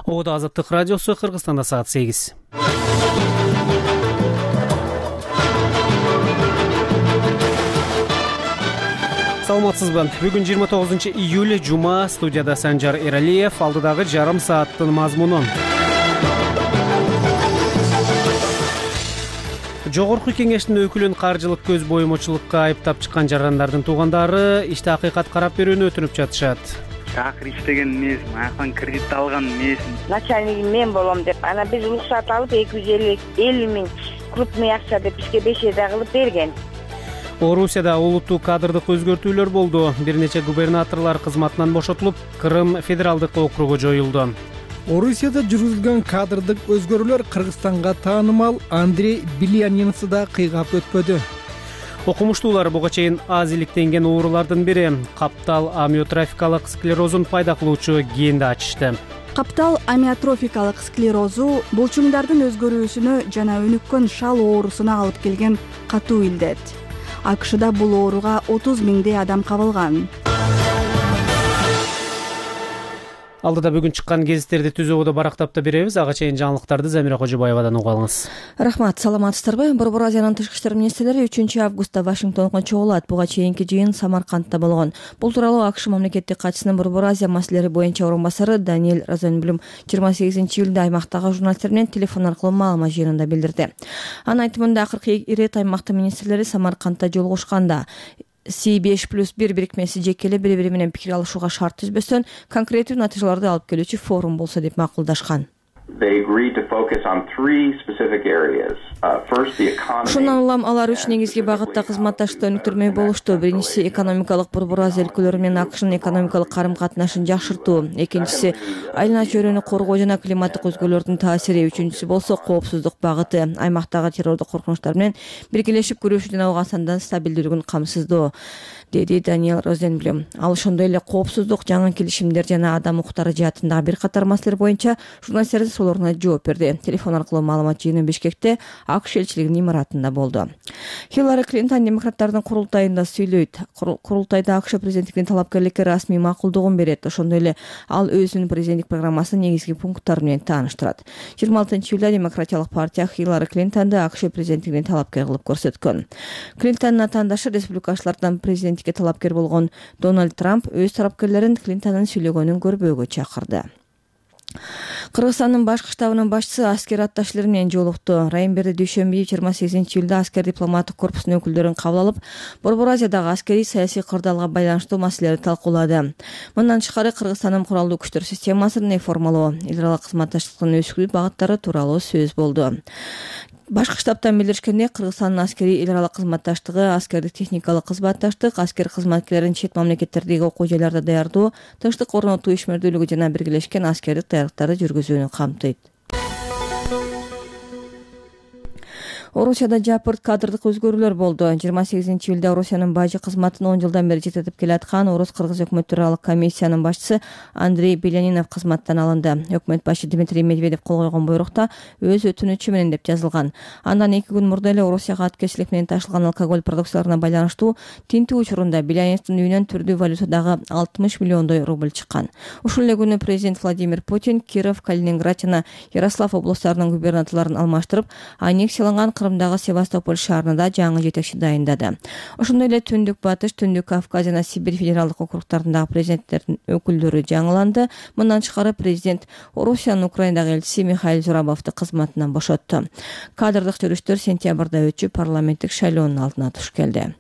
Ода Азаттык радиосу, Кыргызстанда саат 8. Саламатсызбы? Бүгүн 29-июль жума, студияда Санжар Эралиев, алдыдагы жарым сааттын мазмуну. Жогорку кеңештин өкүлүн каржылык көз боюмчулукка айыптап чыккан жарандардын туугандары иште акыйкат карап берүүнү өтүнүп жатышат. Такыр иштеген эмесмин, аяктан кредит алган эмесмин. Начальнигим мен болом деп, ана биз уруксат алып 250 миң крупный акча деп бизге бешеде кылып берген. Орусияда улуттуу кадрдык өзгөртүүлөр болду. Бир нече губернаторлор кызматынан бошотулуп, Крым федералдык округу жоюлду. Орусияда жүргүзүлгөн кадрдык өзгөрүүлөр Кыргызстанга таанымал Андрей Белянинсы да кыйгап өтпөдү. Окумуштуулар буга чейин аз иликтенген оорулардын бири каптал амиотрофикалык склерозун пайда кылуучу генди ачышты. Каптал амиотрофикалык склерозу булчуңдардын өзгөрүүсүнө жана өнүккөн шал оорусуна алып келген катуу илдет. АКШда бул ооруга 30 миңдей адам кабылган. Алдыда бүгүн чыккан гезиттерди түзүүгө барактап да беребиз. Ага чейин жаңылыктарды Замира Кожобаевадан угуп алыңыз. Рахмат, саламатсыздарбы? Борбор Азиянын тышкы иштер министрлери 3-августта Вашингтонго чогулат. Буга чейинки жыйын Самаркандта болгон. Бул тууралуу АКШ мамлекеттик катчысынын Борбор Азия маселелери боюнча орун басары Даниэль Розенблюм 28-июлда аймактагы журналисттер менен телефон аркылуу маалымат жыйынында билдирди. Анын айтымында акыркы ирет аймактын министрлери Самаркандта жолугушканда C5+1 бирикмеси жекеле бири-бири менен пикир алышууга шарт түзбөстөн конкреттүү натыйжаларды алып келүүчү форум болсо деп макулдашкан. Ошондон улам алар 3 негизги багытта кызматташтыкты өнүктүрмөй болушту. Биринчиси экономикалык Борбор Азия өлкөлөрү менен АКШнын экономикалык карым-катнашын жакшыртуу. Экинчиси айлана чөйрөнү коргоо жана климаттык өзгөрүүлөрдүн таасири. Үчүнчүсү болсо коопсуздук багыты. Аймактагы террордук коркунучтар менен биргелешип күрөшүү жана Ооганстандын стабилдүүлүгүн камсыздоо, деди Даниэль Розенблюм. Ал ошондой эле коопсуздук, жаңы келишимдер жана адам укуктары жаатындагы бир катар маселелер боюнча журналисттердин суроолоруна жооп берди. Телефон аркылуу маалымат жыйыны Бишкекте АКШ элчилигинин имаратында болду. Хиллари Клинтон демократтардын курултайында сүйлөйт. Курултайда АКШ президенттигинин талапкерликке расмий макулдугун берет. Ошондой эле ал өзүнүн президенттик программасынын негизги пункттары менен тааныштырат. 26-июлда Демократиялык партия Хиллари Клинтонду АКШ президенттигине талапкер кылып көрсөткөн. Клинтондун атаандашы республикачылардан президенттикке талапкер болгон Дональд Трамп өз тарапкерлерин Клинтондун сүйлөгөнүн көрбөөгө чакырды. Кыргызстандын башкы штабынын башчысы аскер атташылар менен жолукту. Райымберди дүйшөмбү 28-июлда аскер дипломаттык корпусунун өкүлдөрүн кабыл алып, Борбор Азиядагы аскерий саясий кырдаалга байланыштуу маселелерди талкуулады. Мындан тышкары Кыргызстандын куралдуу күчтөр системасын реформалоо, эл аралык кызматташтыктын өсүрүү багыттары тууралуу сөз болду. Башкы штабтан билдиришкендей, Кыргызстандын аскерий эл аралык кызматташтыгы, аскердик техникалык кызматташтык, аскер кызматкерлерин чет мамлекеттердеги окуу жайларда даярдоо, тынчтык орнотуу ишмердүүлүгү жана биргелешкен аскердик даярдыктарды жүргүзүүнү камтыйт. Орусияда жапырт кадрдык өзгөрүүлөр болду. 28-июлда Орусиянын бажы кызматын 10 жылдан бери жететип келаткан Орус-Кыргыз өкмөттөрү комиссиянын башчысы Андрей Белянинов кызматтан алынды. Өкмөт башы Дмитрий Медведев кол койгон буйрукта өз өтүнүчү менен деп жазылган. Андан 2 күн мурда эле Орусияга аткезчилик менен ташылган алкоголь продукцияларына байланыштуу тинтүү учурунда Беляниновдун үйүнөн түрдүү валютадагы 60 миллиондой рубль чыккан. Ушул эле күнү президент Владимир Путин Киров, Калининград жана Ярослав областарынын губернаторлорун алмаштырып, аннексияланган Крымдагы Севастополь шаарында жаңы жетекчи дайындады. Ошондой эле Түндүк Батыш, Түндүк Кавказ жана Сибирь федералдык округтарындагы президенттердин өкүлдөрү жаңыланды. Мындан тышкары президент Орусиянын Украинадагы элчиси Михаил Зурабовду кызматынан бошотту. Кадрдык жүрүштөр сентябрда өтүп, парламенттик шайлоонун алдына туш келди.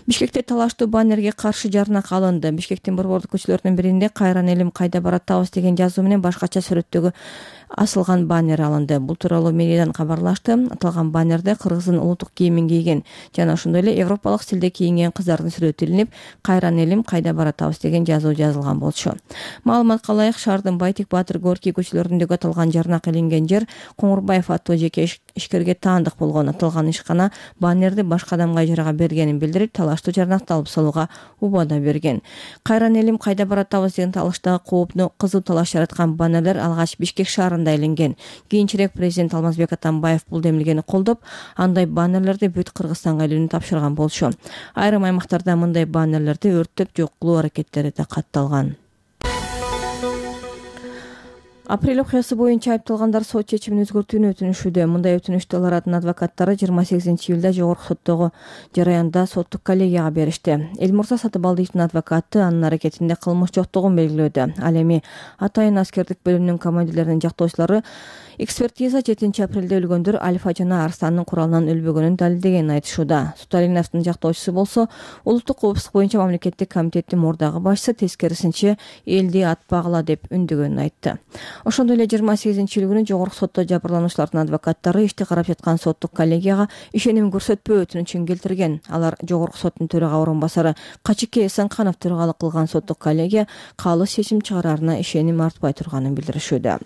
Бишкекте талаштуу баннерге каршы жарнак алынды. Бишкектин борбордук көчөлөрүнүн биринде "Кайран элим, кайда баратабыз" деген жазуу менен башкача сүрөттөгү асылган баннер алынды. Бул тууралуу мэриядан кабарлашты. Аталган баннерде кыргыздын улуттук кийимин кийген жана ошондой эле европалык стилде кийинген кыздардын сүрөтү илинип, "Кайран элим, кайда баратабыз" деген жазуу жазылган болчу. Маалыматка ылайык, шаардын Байтик Батыр, Горький көчөлөрүндөгү аталган жарнак илинген жер Коңурбаев аттуу жеке ишкерге таандык болгон. Аталган ишкана баннерди башка адамга ижарага бергенин билдирип, талаштуу жарнакты алып салууга убада берген. "Кайран элим, кайда баратабыз" деген талаштагы кооптуу кызуу талаш жараткан баннерлер алгач Бишкек шаарында илинген. Кийинчерээк президент Алмазбек Атамбаев бул демилгени колдоп, андай баннерлерди бүт Кыргызстанга илүүнү тапшырган болчу. Айрым аймактарда мындай баннерлерди өрттөп жок кылуу аракеттери да катталган. Апрель окуясы боюнча айыпталгандар сот чечимин өзгөртүүнү өтүнүшүүдө. Мындай өтүнүштү алардын адвокаттары 28-июлда жогорку соттогу жараянда соттук коллегияга беришти. Элмурза Сатыбалдиевдин адвокаты анын аракетинде кылмыш жоктугун белгилөөдө. Ал эми Атайын аскердик бөлүмүнүн командирлеринин жактоочулары экспертиза 7 апрелде өлгөндөр Альфа жана Арсландын куралынан өлбөгөнүн далилдегенин айтышууда. Суталиновдун жактоочусу болсо улуттук коопсуздук боюнча мамлекеттик комитеттин мурдагы башчысы тескерисинче элди атпагыла деп үндөгөнүн айтты. Ошондой эле 28-июль күнү жогорку сотто жабырлануучулардын адвокаттары ишти карап жаткан соттук коллегияга ишеним көрсөтпөө өтүнүчүн келтирген. Алар жогорку соттун төрага орун басары Качыке Эсенканов төрагалык кылган соттук коллегия калыс чечим чыгараарына ишеним артпай турганын билдиришүүдө.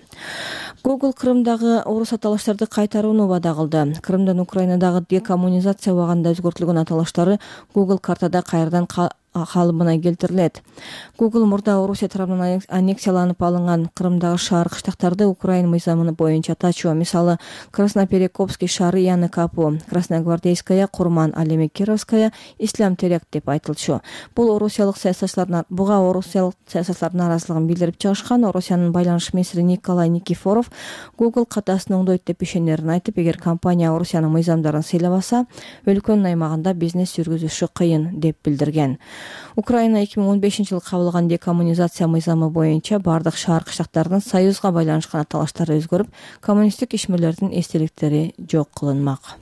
Google Крымдагы орус аталыштарды кайтарууну убада кылды. Крымдан Украинадагы декоммунизация убагында өзгөртүлгөн аталыштары Google картада кайрадан калыбына келтирилет. Google мурда Орусия тарабынан аннексияланып алынган Крымдагы шаар кыштактарды Украин мыйзамы боюнча атачу, мисалы Красноперекопский шаары Яны Капу, Красногвардейская, Курман, ал эми Кировская, Ислам Терек деп айтылчу. Буга орусиялык саясатчылардын нааразылыгын билдирип чыгышкан. Орусиянын байланыш министри Николай Никифоров Google катасын оңдойт деп ишенерин айтып, эгер компания Орусиянын мыйзамдарын сыйлабаса, өлкөнүн аймагында бизнес жүргүзүшү кыйын деп билдирген. Украина 2015-жылы кабылган декоммунизация мыйзамы боюнча бардык шаар кыштактардын союзга байланышкан аталыштары өзгөрүп, коммунисттик ишмерлердин эстеликтери жок кылынмак.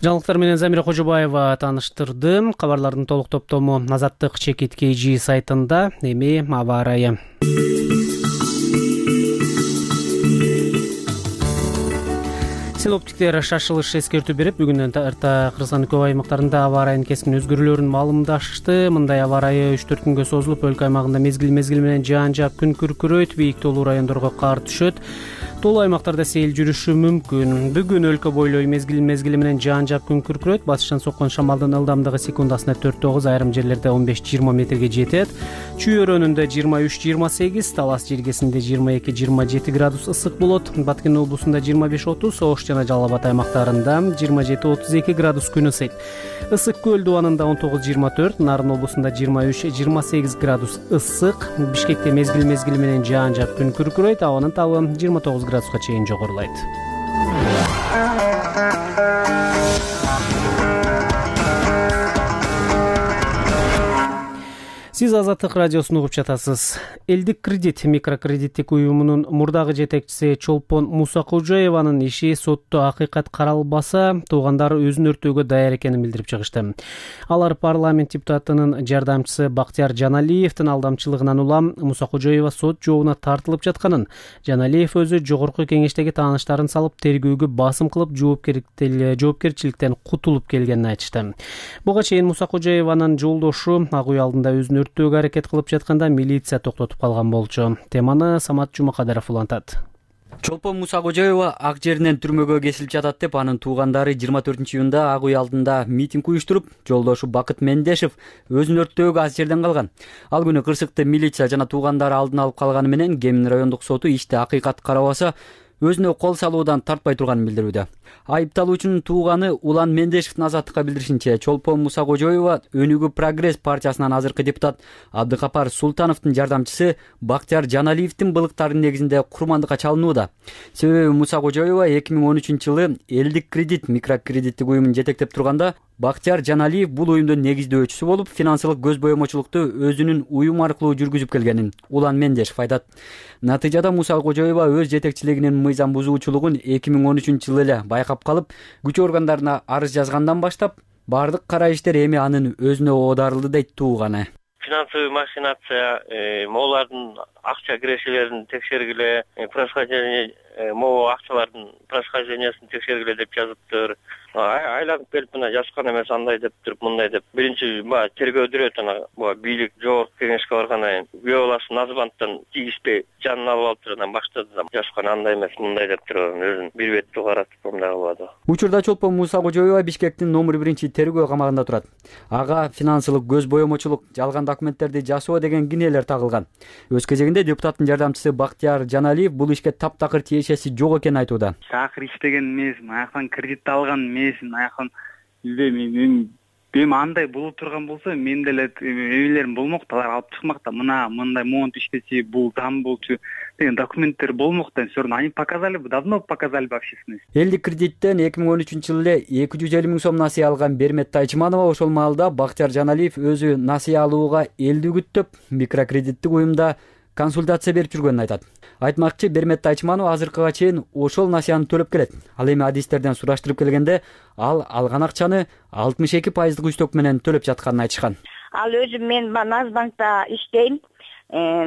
Жаңылыктар менен Замира Кожобаева тааныштырды. Кабарлардын толук топтому Азаттык Чекит KG сайтында. Эми аба ырайы. Синоптиктер шашылыш эскертүү берип, бүгүндөн тарта Кыргызстандын көп аймактарында аба ырайынын кескин өзгөрүүлөрүн маалымдашты. Мындай аба ырайы 3-4 күнгө созулуп, өлкө аймагында мезгил менен жаан жаап, күн күркүрөйт, бийик тоолуу райондорго кар түшөт. Тоолуу аймактарда сел жүрүшү мүмкүн. Бүгүн өлкө бойлой мезгил менен жаан жаап, күн күркүрөйт. Батыштан соккон шамалдын ылдамдыгы секундасына 4-9, айрым жерлерде 15-20 метрге жетет. Чүй өрөөнүндө 23-28, Талас жергесинде 22-27 градус ысык болот. Баткен облусунда 25-30, Ош жана Жалал Абад аймактарында 27-32 градус күн ысыйт. Ысык көл дубанында 19-24, Нарын облусунда 23-28 градус ысык. Бишкекте мезгил менен жаан жаап, күн күркүрөйт. Абанын табы 29 градуска чейин жогорулайт. Сиз Азаттык радиосун угуп жатасыз. Элдик кредит микрокредиттик уюмунун мурдагы жетекчиси Чолпон Мусакожоеванын иши сотто акыйкат каралбаса, туугандары өзүн өртөөгө даяр экенин билдирип чыгышты. Алар парламент депутатынын жардамчысы Бактияр Жаналиевдин алдамчылыгынан улам Мусакожоева сот жообуна тартылып жатканын, Жаналиев өзү жогорку кеңештеги тааныштарын салып, тергөөгө басым кылып, жоопкерчиликтен кутулуп келгенин айтышты. Буга чейин Мусакожоеванын жолдошу ак үй алдында өзүн өртөөгө аракет кылып жатканда милиция токтотуп калган болчу. Теманы Самат Жумакадыров улантат. Чолпон Мусакожоева ак жеринен түрмөгө кесилип жатат деп анын туугандары 24-июнда ак үй алдында митинг уюштуруп, жолдошу Бакыт Мендешев өзүн өртөөгө аз жерден калган. Ал күнү Кырсыкты милиция жана туугандары алдын алып калганы менен Кемин райондук соту ишти акыйкат карабаса, өзүнө кол салуудан тартпай турганын билдирүүдө. Айыпталуучунун тууганы Улан Мендешевдин Азаттыкка билдиришинче, Чолпон Мусакожоева Өнүгүү Прогресс партиясынан азыркы депутат Абдыкапар Султановдун жардамчысы Бактияр Жаналиевдин былыктарынын негизинде курмандыкка чалынууда. Себеби Мусакожоева 2013-жылы Элдик кредит микрокредиттик уюмун жетектеп турганда, Бактияр Жаналиев бул уюмдун негиздөөчүсү болуп, финансылык көз боемочулукту өзүнүн уюм аркылуу жүргүзүп келгенин Улан Мендешев айтат. Натыйжада Мусакожоева өз жетекчилигинин мыйзам бузуучулугун 2013-жылы эле байкап калып, күч органдарына арыз жазгандан баштап, бардык кара иштер эми анын өзүнө оодарылды дейт тууганы. Финансовый махинация, могулардын акча кирешелерин текшергиле, происхождение могу акчалардын происхождениясын текшергиле деп жазыптыр. Айланып келип мына жазган эмес, андай деп туруп, мындай деп. Биринчи тергөөдүрөт, ана бийлик жогорку кеңешке баргандан кийин күбө баласы Назыбанттан тийиспей жанын алып алыптыр, анан баштады да жазган андай эмес, мындай деп туруп, өзүн бир беттүү каратып мындай кылбады. Учурда Чолпон Мусакожоева Бишкектин номер 1 тергөө камагында турат. Ага финансылык көз боемочулук, жалган документтерди жасоо деген кинелер тагылган. Өз кезегинде депутаттын жардамчысы Бактияр Жаналиев бул ишке таптакыр тиешеси жок экенин айтууда. Такыр иштеген эмесмин, аяктан кредит алган эмесмин, аяктан билбейм, мен эми андай боло турган болсо мен деле эбилерим болмок да, алар алып чыкмак да, мындай монт иштечи, бул зам болчу деген документтер болмок да. Все равно они показали бы, давно показали бы общественность. Элдик кредиттен 2013 эле 250 000 сом насыя алган Бермет Тайчманова ошол маалда Бактияр Жаналиев өзү насыя алууга элди үгүттөп, микрокредиттик уюмда консультация берип жүргөнүн айтат. Айтмакчы, Бермет Тайчманова азыркыга чейин ошол насыяны төлөп келет. Ал эми адистерден сураштырып келгенде, ал алган акчаны 62% үстөк менен төлөп жатканын айтышкан. Ал өзүм мен Назбанкта иштейм.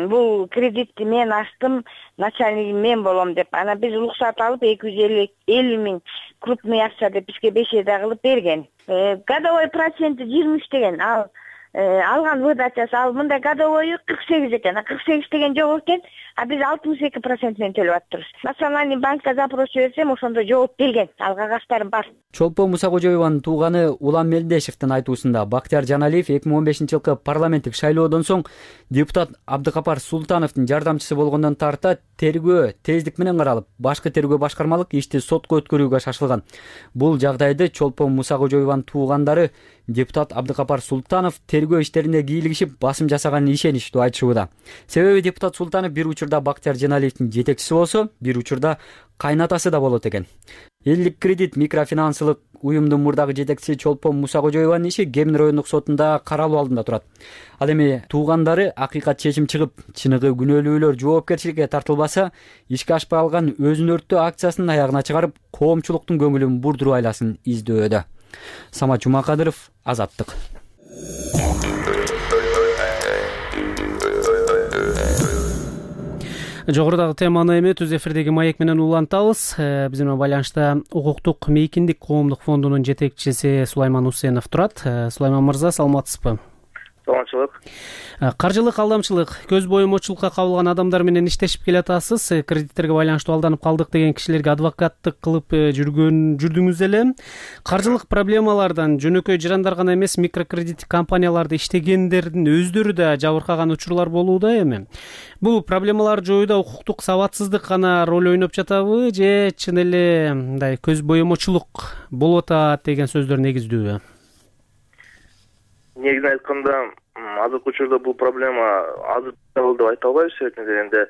Бул кредитти мен ачтым, начальнигим мен болом деп. Ана биз уруксат алып 250 000 крупный акча деп бизге бешеде кылып берген. Годовой проценти 23 деген. Ал алган выдачасы ал мындай годовойу 48 экен. 48 деген жок экен, а биз 62% менен төлөп атабыз. Национальный банкка запрос берсем, ошондо жооп келген. Ал кагаштарым бар. Чолпон Мусакожоеванын тууганы Улан Мелдешевдин айтуусунда Бактияр Жаналиев 2015-жылкы парламенттик шайлоодон соң депутат Абдыкапар Султановдун жардамчысы болгондон тарта тергөө тездик менен каралып, башкы тергөө башкармалык ишти сотко өткөрүүгө шашылган. Бул жагдайды Чолпон Мусакожоеванын туугандары депутат Абдыкапар Султанов тергөө иштерине кийлигишип басым жасаганын ишеничтүү айтышууда. Себеби депутат Султанов бир учурда Бактияр Жаналиевдин жетекчиси болсо, бир учурда кайнатасы да болот экен. Элдик кредит микрофинансылык уюмдун мурдагы жетекчиси Чолпон Мусакожоеванын иши Кемин райондук сотунда каралуу алдында турат. Ал эми туугандары акыйкат чечим чыгып, чыныгы күнөөлүүлөр жоопкерчиликке тартылбаса, ишке ашпай алган өзүн өрттөө акциясын аягына чыгарып, коомчулуктун көңүлүн бурдуруу айласын издөөдө. Самат Жумакадыров, Азаттык. Жогорудагы теманы эми түз эфирдеги маек менен улантабыз. Биз менен байланышта укуктук мейкиндик коомдук фондунун жетекчиси Сулайман Усенов турат. Сулайман мырза, саламатсызбы? Саламатчылык. Каржылык алдамчылык, көз боюмочулукка кабылган адамдар менен иштешип келатасыз. Кредиттерге байланыштуу алданып калдык деген кишилерге адвокаттык кылып жүрдүңүз эле. Каржылык проблемалардан жөнөкөй жырандар гана эмес, микрокредиттик компанияларда иштегендердин өздөрү да жабыркаган учурлар болууда эми. Бул проблемаларды жоюуда укуктук сабатсыздык гана роль ойноп жатабы же чын эле мындай көз боюмочулук болуп атат деген сөздөр негиздүүбү? Негизин айтканда, азыркы учурда бул проблема азыр деп айта албайбыз. Себеби дегенде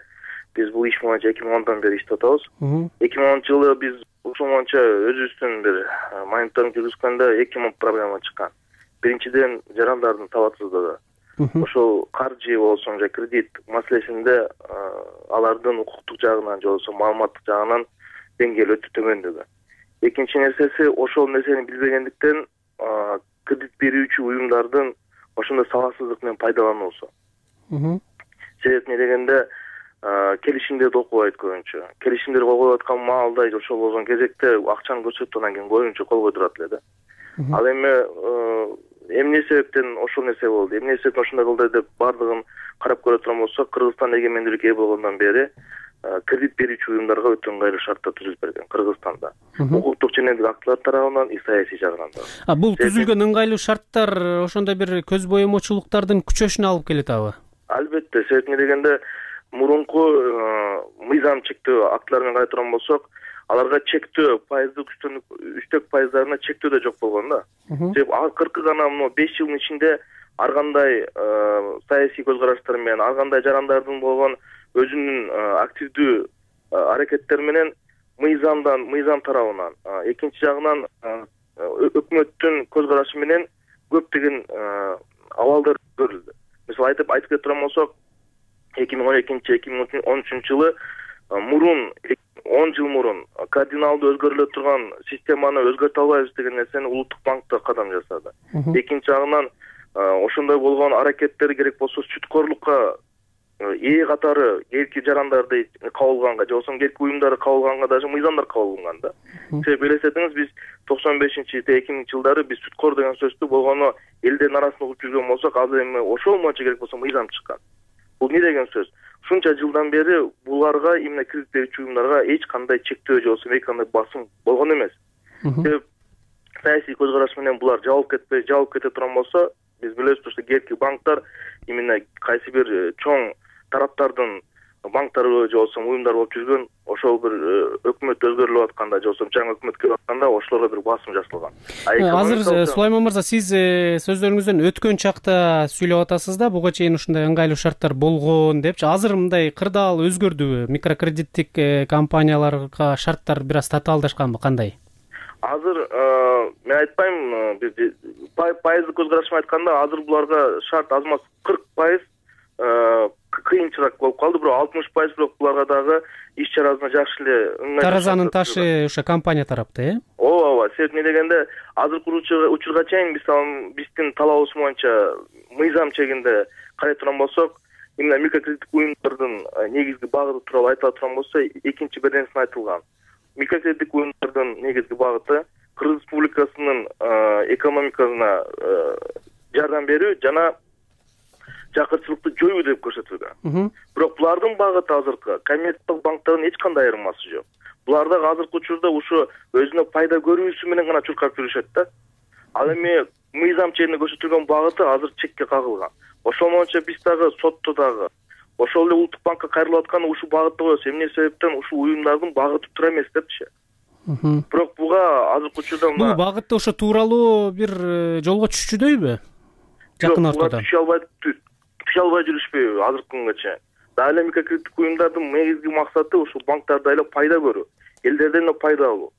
биз бул иш боюнча 2010 бери иштеп атабыз. 2010-жылы биз ушул боюнча өзүбүздүн бир мониторинг жүргүзгөндө 2 проблема чыккан. Биринчиден, жарандардын сабатсыздыгы. Ошол каржы болсун же кредит маселесинде алардын укуктук жагынан же болбосо маалыматтык жагынан деңгээли өтө төмөндүгү. Экинчи нерсеси, ошол нерсени билбегендиктен кредит берүүчү уюмдардын ошондой сабатсыздык менен пайдалануусу. Себеби дегенде келишимдерди окубайт көбүнчө. Келишимдер кол коюп аткан маалда ошол болгон кезекте акчаны көрсөтүп анан кийин коюнчу кол койдурат эле да. Ал эми эмне себептен ошол нерсе болду? Эмне себептен ошондой кылды деп бардыгын карап көрө турган болсок, Кыргызстан эгемендүүлүккө ээ болгондон бери кредит берүүчү уюмдарга өтө ыңгайлуу шарттар түзүлүп берген Кыргызстанда. Укуктук жөнөдүк актылар тарабынан, саясий жагынан да. Бул түзүлгөн ыңгайлуу шарттар ошондой бир көз боюмочулуктардын күчөшүнө алып келет абы? Албетте, себеби дегенде мурунку мыйзам чектөө актылар менен карай турган болсок, аларга чектөө пайыздык үстөк пайыздарына чектөө да жок болгон да. Себеби акыркы гана 5 жылдын ичинде ар кандай саясий көз караштар менен, ар кандай жарандардын болгон өзүнүн активдүү аракеттери менен мыйзам тарабынан, экинчи жагынан өкмөттүн көз карашы менен көптөгөн абалдар көрүлдү. Мисалы айтып кете турган болсок, 2012-2013 жылы мурун 10 жыл мурун кардиналдуу өзгөрүлө турган системаны өзгөртө албайбыз деген нерсени Улуттук банк да кадам жасады. Экинчи жагынан ошондой болгон аракеттер керек болсо сүткорлукка ээ катары эрки жарандарды кабылганга же болбосо эрки уюмдарды кабылганга даже мыйзамдар кабылган да. Себеби элестетиңиз, биз 95-2000 жылдары биз сүткор деген сөздү болгону элдердин арасында угуп жүргөн болсок, азыр эми ошол боюнча керек болсо мыйзам чыккан. Бул эмне деген сөз? Ушунча жылдан бери буларга, именно кредит берүүчү уюмдарга эч кандай чектөө же болбосо эч кандай басым болгон эмес. Себеби саясий көз караш менен булар жабылып кете турган болсо, биз билебиз, что эрки банктар именно кайсы бир чоң тараптардын банктарбы же болбосо уюмдар болуп жүргөн ошол бир өкмөт өзгөрүлүп атканда же болбосо жаңы өкмөт келип атканда ошолорго бир басым жасалган. Азыр Сулайман мырза, сиз сөздөрүңүздөн өткөн чакта сүйлөп атасыз да, буга чейин ушундай ыңгайлуу шарттар болгон депчи. Азыр мындай кырдаал өзгөрдүбү? Микрокредиттик компанияларга шарттар бир аз татаалдашканбы, кандай? Азыр мен айтпайм, пайыздык көз карашымы айтканда азыр буларга шарт аз маз 40% кыйынчыраак болуп калды, бирок 60% бирок буларга дагы иш чарасына жакшы эле ыңгайлуу. Таразанын ташы ошо компания тарапты, ооба. Себеп эмне дегенде азыркы учурга чейин биздин талабыбыз боюнча мыйзам чегинде карай турган болсок, именно микрокредиттик уюмдардын негизги багыты тууралуу айтыла турган болсо, экинчи беренесинде айтылган. Микрокредиттик уюмдардын негизги багыты Кыргыз Республикасынын экономикасына жардам берүү жана жакырчылыкты жоюу деп көрсөтүлгөн. Бирок булардын багыты азыркы коммерциялык банктардын эч кандай айырмасы жок. Булар дагы азыркы учурда ушу өзүнө пайда көрүүсү менен гана чуркап жүрүшөт да. Ал эми мыйзам чегинде көрсөтүлгөн багыты азыр чекке кагылган. Ошол менен биз дагы сотто дагы ошол эле улуттук банкка кайрылып атканы ушул багытта коебуз. Эмне себептен ушул уюмдардын багыты туура эмес депчи. Бирок буга азыркы учурда бул багытта ошо тууралуу бир жолго түшчүдөйбү? Жакын ортодо түшө албай жүрүшпөйбү азыркы күнгө чейин. Дагы эле микрокредиттик уюмдардын негизги максаты ушул банктарда эле пайда көрүү, элдерден эле пайда алуу.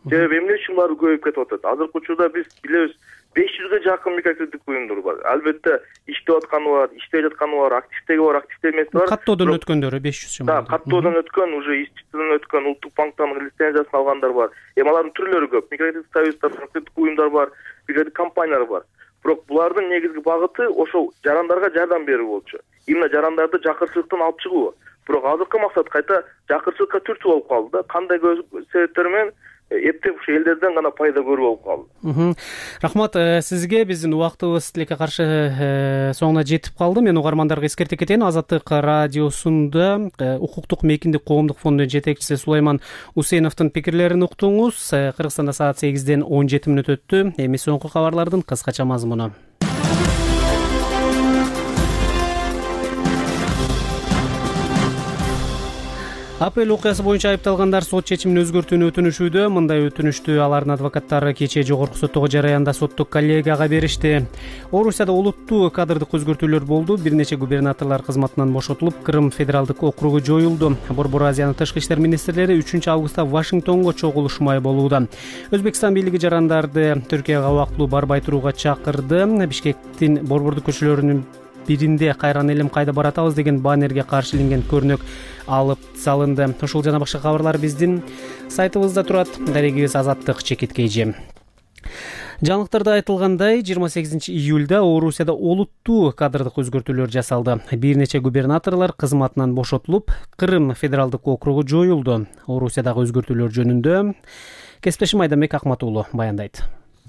Себеби эмне үчүн булар көбөйүп кетип атат? Азыркы учурда биз билебиз 500ге жакын микрокредиттик уюмдар бар. Албетте иштеп атканы бар, иштеп жатканы бар, активдеги бар, активде эмеси бар. Каттоодон өткөндөрү 500 чамалуу. Да, каттоодон өткөн, уже иштиктен өткөн, улуттук банктан лицензиясын алгандар бар. Эми алардын түрлөрү көп. Микрокредиттик союздар, микрокредиттик уюмдар бар, микрокредиттик компаниялар бар. Бирок булардын негизги багыты ошол жарандарга жардам берүү болчу. Именно жарандарды жакырчылыктан алып чыгуу. Бирок азыркы максат кайта жакырчылыкка түртүү болуп калды да. Кандай себептер менен эптеп ушу элдерден гана пайда көрүү болуп калды. Рахмат сизге. Биздин убактыбыз тилекке каршы соңуна жетип калды. Мен угармандарга эскертип кетейин. Азаттык радиосунда укуктук мейкиндик коомдук фондунун жетекчиси Сулайман Усейновдун пикирлерин уктуңуз. Кыргызстанда саат 8-ден 17 мүнөт өттү. Эми соңку кабарлардын кыскача мазмуну. Апрель окуясы боюнча айыпталгандар сот чечимин өзгөртүүнү өтүнүшүүдө. Мындай өтүнүштү алардын адвокаттары кечээ жогорку соттогу жараянда соттук коллегияга беришти. Орусияда олуттуу кадрдык өзгөртүүлөр болду. Бир нече губернаторлор кызматынан бошотулуп, Крым федералдык округу жоюлду. Борбор Азиянын тышкы иштер министрлери 3-августта Вашингтонго чогулушмай болууда. Өзбекстан бийлиги жарандарды Түркияга убактылуу барбай турууга чакырды. Бишкектин борбордук көчөлөрүнүн биринде кайран элим кайда баратабыз деген баннерге каршы иленген көрүнөк алып салынды. Ушул жана башка кабарлар биздин сайтыбызда турат. Дарегибиз Азаттык ЧКТ. Жаңылыктарда айтылгандай, 28 июлда Орусияда олуттуу кадрдык өзгөртүүлөр жасалды. Бир нече губернаторлор кызматынан бошотулуп, Крым федералдык округу жоюлду. Орусиядагы өзгөртүүлөр жөнүндө кесиптешим Айдамбек Акматуулу баяндайт.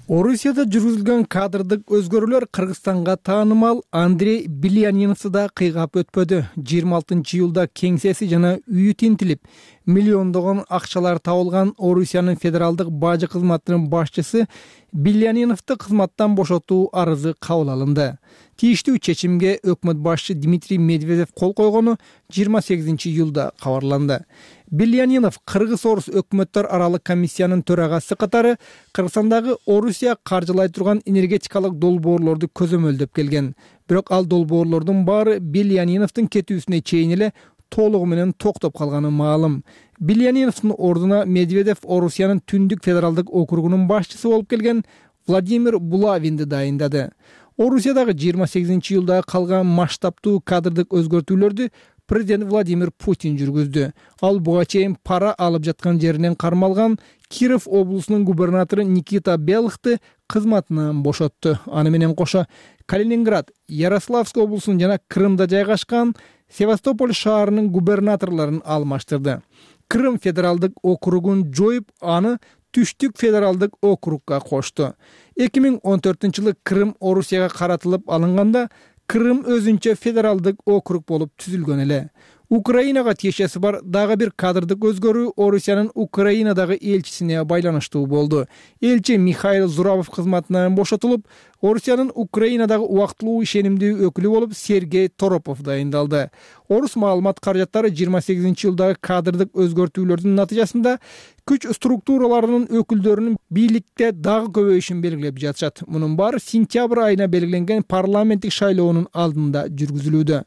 Орусияда жүргүзүлгөн кадрдык өзгөрүүлөр Кыргызстанга таанымал Андрей Биляниновду да кыйгап өтпөдү. 26 июлда кеңсеси жана үйү тинтилип, миллиондогон акчалар табылган Орусиянын федералдык бажы кызматынын башчысы Биляниновду кызматтан бошотуу арызы кабыл алынды. Тийиштүү чечимге өкмөт башчы Дмитрий Медведев кол койгону 28 июлда кабарланды. Билянинов Кыргыз-Орус өкмөттөр аралык комиссиянын төрагасы катары Кыргызстандагы Орусия каржылай турган энергетикалык долбоорлорду көзөмөлдөп келген. Бирок ал долбоорлордун баары Биляниновдун кетүүсүнө чейин эле толугу менен токтоп калганы маалым. Биляниновдун ордуна Медведев Орусиянын Түндүк федералдык округунун башчысы болуп келген Владимир Булавинди дайындады. Орусиядагы 28 июлда калган масштабтуу кадрдык өзгөртүүлөрдү президент Владимир Путин жүргүздү. Ал буга чейин пара алып жаткан жеринен кармалган Киров облусунун губернатору Никита Белыхты кызматынан бошотту. Аны менен кошо Калининград, Ярославский облусунун жана Крымда жайгашкан Севастополь шаарынын губернаторлорун алмаштырды. Крым федералдык округун жоюп, аны Түштүк федералдык округга кошту. 2014-жылы Крым Орусияга каратылып алынганда Крым өзүнчө федералдык округ болуп түзүлгөн эле. Украинага тиешеси бар дагы бир кадрдык өзгөрүү Орусиянын Украинадагы элчисине байланыштуу болду. Элчи Михаил Зурабов кызматынан бошотулуп, Орусиянын Украинадагы убактылуу ишенимдүү өкүлү болуп Сергей Торопов дайындалды. Орус маалымат каражаттары 28-жылдагы кадрдык өзгөртүүлөрдүн натыйжасында күч структураларынын өкүлдөрүнүн бийликте дагы көбөйүшүн белгилеп жатышат. Мунун баары сентябрь айына белгиленген парламенттик шайлоонун алдында жүргүзүлүүдө.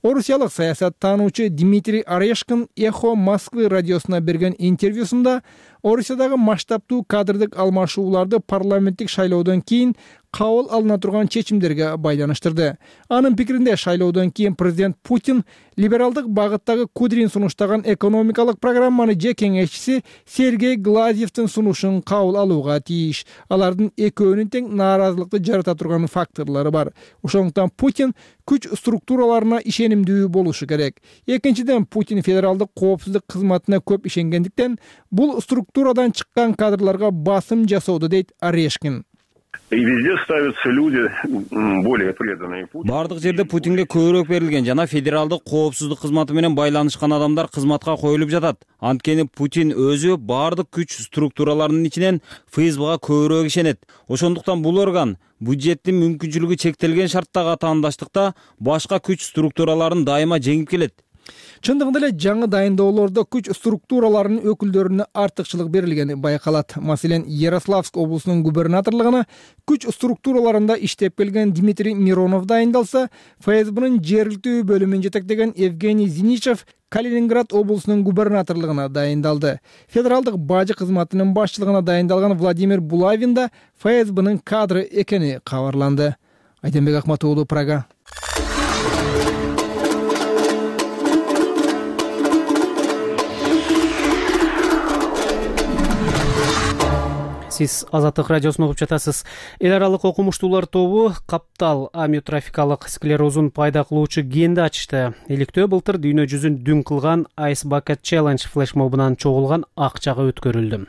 Орусиялык саясаттануучу Дмитрий Орешкин Эхо Москвы радиосуна берген интервьюсунда Орусиядагы масштабтуу кадрдык алмашууларды парламенттик шайлоодон кийин кабыл алына турган чечимдерге байланыштырды. Анын пикиринде шайлоодон кийин президент Путин либералдык багыттагы Кудрин сунуштаган экономикалык программаны же кеңешчиси Сергей Глазьевдин сунушун кабыл алууга тийиш. Алардын экөөнүн тең нааразылыкты жарата турган факторлору бар. Ошондуктан Путин күч структураларына ишенимдүү болушу керек. Экинчиден, Путин федералдык коопсуздук кызматына көп ишенгендиктен бул структурадан чыккан кадрларга басым жасоодо, дейт Орешкин. И везде ставятся люди более преданные Путину. Бардык жерде Путинге көбүрөөк берилген жана федералдык коопсуздук кызматы менен байланышкан адамдар кызматка коюлуп жатат. Анткени Путин өзү бардык күч структураларынын ичинен ФСБга көбүрөөк ишенет. Ошондуктан бул орган бюджеттин мүмкүнчүлүгү чектелген шарттагы атаандаштыкта башка күч структураларын дайыма жеңип келет. Чындыгында эле жаңы дайындоолордо күч структураларынын өкүлдөрүнө артыкчылык берилгени байкалат. Маселен, Ярославск облусунун губернаторлугуна күч структураларында иштеп келген Дмитрий Миронов дайындалса, ФСБнын жергиликтүү бөлүмүн жетектеген Евгений Зиничев Калининград облусунун губернаторлугуна дайындалды. Федералдык бажы кызматынын башчылыгына дайындалган Владимир Булавин да ФСБнын кадры экени кабарланды. Айденбек Акматуулу, Прага. Сиз Азаттык радиосун угуп жатасыз. Эл аралык окумуштуулар тобу каптал амиотрофикалык склерозун пайда кылуучу генди ачышты. Иликтөө былтыр дүйнө жүзүн дүң кылган Ice Bucket Challenge флешмобунан чогулган акчага өткөрүлдү.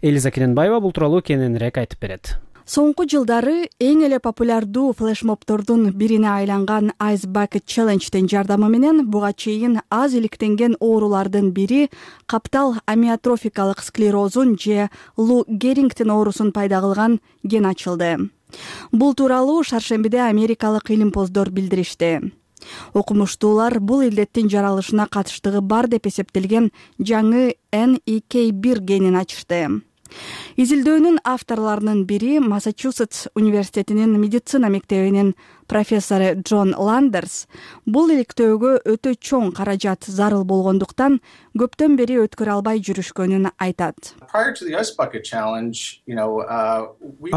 Элиза Кененбаева бул тууралуу кененирээк айтып берет. Соңку жылдары эң эле популярдуу флешмобтордун бирине айланган Ice Bucket Challenge'дин жардамы менен буга чейин аз иликтенген оорулардын бири каптал амиотрофикалык склерозун же Лу Герингтон оорусун пайда кылган ген ачылды. Бул тууралуу шаршембиде америкалык илимпоздор билдиришти. Окумуштуулар бул илдеттин жаралышына катыштыгы бар деп эсептелген жаңы NEK1 генин ачышты. Изилдөөнүн авторлорунун бири Массачусетс университетинин медицина мектебинин профессору Джон Ландерс бул иликтөөгө өтө чоң каражат зарыл болгондуктан көптөн бери өткөрө албай жүрүшкөнүн айтат.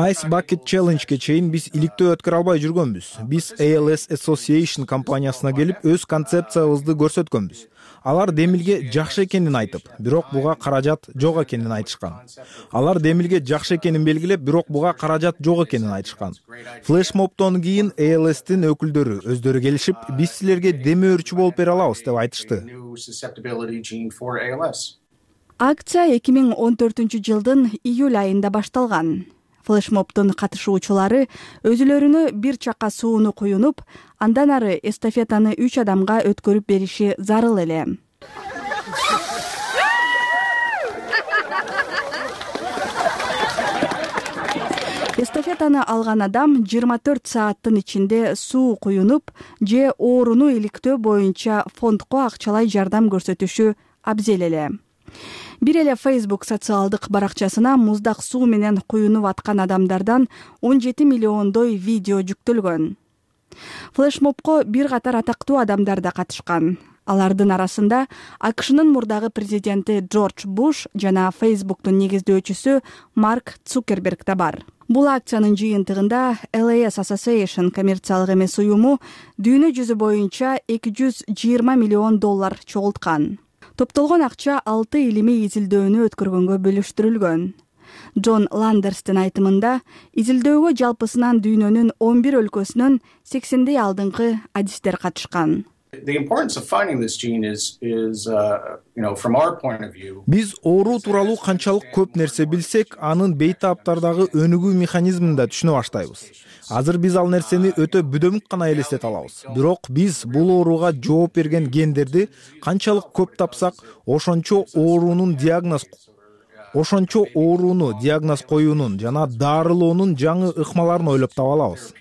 Ice Bucket Challenge'ге чейин биз иликтөө өткөрө албай жүргөнбүз. Биз ALS Association компаниясына келип өз концепциябызды көрсөткөнбүз. Алар демилге жакшы экенин айтып, бирок буга каражат жок экенин айтышкан. Алар демилге жакшы экенин белгилеп, бирок буга каражат жок экенин айтышкан. Флешмобтон кийин ALS-тин өкүлдөрү өздөрү келишип, биз силерге деме өрчү болуп бере алабыз деп айтышты. Акция 2014-жылдын июль айында башталган. Флешмобтун катышуучулары өзүлөрүнө бир чака сууну куюнуп, андан ары эстафетаны 3 адамга өткөрүп бериши зарыл эле. Эстафетаны алган адам 24 сааттын ичинде суу куюнуп же ооруну иликтөө боюнча фондко акчалай жардам көрсөтүшү абзел эле. Бир эле Facebook социалдык баракчасына муздак суу менен куюнуп аткан адамдардан 17 миллиондой видео жүктөлгөн. Флешмобко бир катар атактуу адамдар да катышкан. Алардын арасында АКШнын мурдагы президенти Джордж Буш жана Facebooktун негиздөөчүсү Марк Цукерберг да бар. Бул акциянын жыйынтыгында LAS Association коммерциялык эмес уюму дүйнө жүзү боюнча $220 миллион чогулткан. Топтолгон акча 6 илимий изилдөөнү өткөргөнгө бөлүштүрүлгөн. Джон Ландерстин айтымында, изилдөөгө жалпысынан дүйнөнүн 11 өлкөсүнөн 80 алдыңкы адистер катышкан. Биз оору тууралуу канчалык көп нерсе билсек, анын бейтаптардагы өнүгүү механизмин да түшүнө баштайбыз. Азыр биз ал нерсени өтө бүдөмүк гана элестете алабыз. Бирок биз бул ооруга жооп берген гендерди канчалык көп тапсак, ошончо ооруну диагноз коюунун жана дарылоонун жаңы ыкмаларын ойлоп таба алабыз.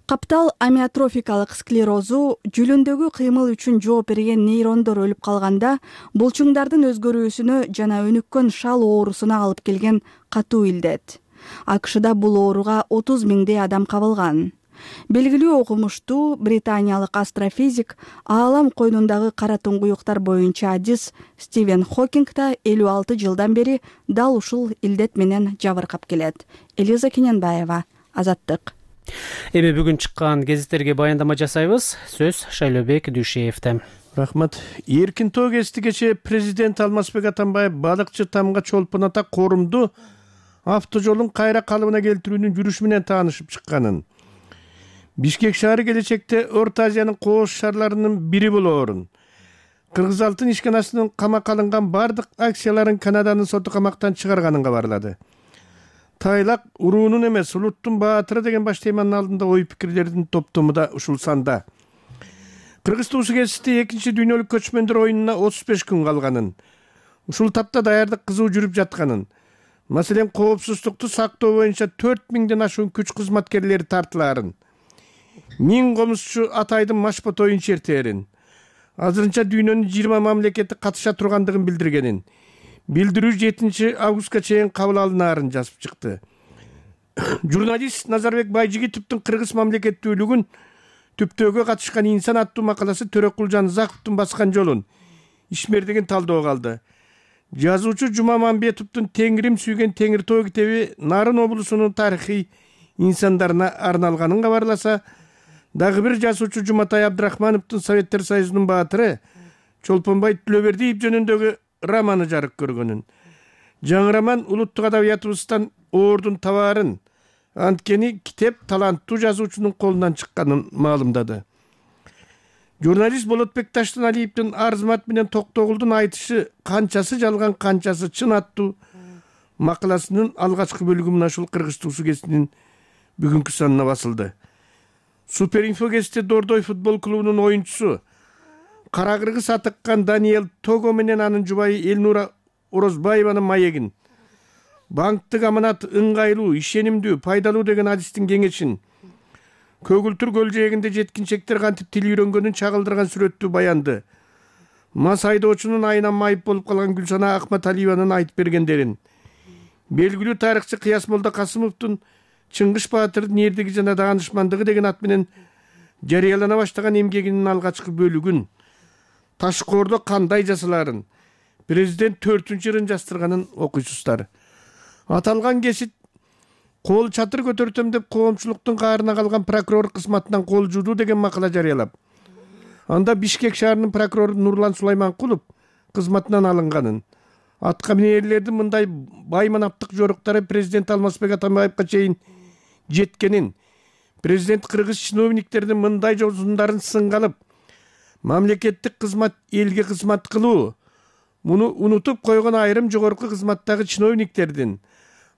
Каптал амиотрофикалык склерозу жүлүндөгү кыймыл үчүн жооп берген нейрондор өлүп калганда булчуңдардын өзгөрүүсүнө жана өнүккөн шал оорусуна алып келген катуу илдет. АКШда бул ооруга 30 миңдей адам кабылган. Белгилүү окумуштуу британиялык астрофизик, аалам койнундагы кара туңгуюктар боюнча адис Стивен Хокинг да 56 жылдан бери дал ушул илдет менен жабыркап келет. Элиза Кененбаева, Азаттык. Эми бүгүн чыккан гезиттерге баяндама жасайбыз. Сөз Шайлообек Дүйшеевде. Рахмат. Эркин тоо кести кечээ президент Алмазбек Атамбаев балыкчы Тамга Чолпон Ата корумду автожолун кайра калыбына келтирүүнүн жүрүшү менен таанышып чыкканын, Бишкек шаары келечекте Орто Азиянын кооз шаарларынын бири болоорун, Кыргыз алтын ишканасынын камакка алынган бардык акцияларын Канаданын соту камактан чыгарганын кабарлады. Тайлак уруунун эмес, улуттун баатыры деген баш теманын алдында ой пикирлердин топтому да ушул санда. Кыргыз туусу кесипте 2-дүйнөлүк көчмөндөр оюнуна 35 күн калганын, ушул тапта даярдык кызуу жүрүп жатканын, маселен коопсуздукту сактоо боюнча 4000ден ашуун күч кызматкерлери тартылаарын, 1000 комузчу Атайдын машпотоюн чертээрин, азырынча дүйнөнүн 20 мамлекети катыша тургандыгын билдиргенин, билдирүү 7 августка чейин кабыл алынаарын жазып чыкты. Журналист Назарбек Байжигитовдун Кыргыз мамлекеттүүлүгүн түптөөгө катышкан инсан аттуу макаласы Төрөкул Жанызаковдун баскан жолун ишмердигин талдоого алды. Жазуучу Жума Мамбетовдун Теңирим сүйгөн Теңир тоо китеби Нарын облусунун тарыхый инсандарына арналганын кабарласа, дагы бир жазуучу Жуматай Абдрахмановдун Советтер Союзунун баатыры Чолпонбай Түлөбердиев жөнүндөгү романы жарык көргөнүн. Жаңы роман улуттук адабиятыбыздан оордун табаарын, анткени китеп таланттуу жазуучунун колунан чыкканын маалымдады. Журналист Болотбек Таштаналиевдин Арзмат менен Токтогулдун айтышы канчасы жалган, канчасы чын аттуу макаласынын алгачкы бөлүгү мына ушул Кыргыз туусу гезитинин бүгүнкү санына басылды. Суперинфо гезити Дордой футбол клубунун оюнчусу Кара Кыргыз атыккан Даниэл Того менен анын жубайы Элнура Орозбаеванын маегин, банктык аманат ыңгайлуу, ишенимдүү, пайдалуу деген адистин кеңешин, Көгүлтүр көл жээгинде жеткинчектер кантип тил үйрөнгөнүн чагылдырган сүрөттүү баянды, мас айдоочунун айынан майып болуп калган Гүлсана Акматалиеванын айтып бергендерин, белгилүү тарыхчы Кыяс Молда Касымовдун Чыңгыш Баатырдын эрдиги жана даанышмандыгы деген ат менен жарыялана баштаган эмгегинин алгачкы бөлүгүн, Ташкоордо кандай жасаларын, президент 4-ырын жастырганын окуйсуздар. Аталган кесит кол чатыр көтөртөм деп коомчулуктун каарына калган прокурор кызматынан кол жуудуу деген макала жарыялап, анда Бишкек шаарынын прокурору Нурлан Сулайманкулов кызматынан алынганын, атка минерлердин мындай байманаптык жоруктары президент Алмазбек Атамбаевка чейин жеткенин, президент кыргыз чиновниктердин мындай жолсундарын сынга алып, мамлекеттик кызмат элге кызмат кылуу, муну унутуп койгон айрым жогорку кызматтагы чиновниктердин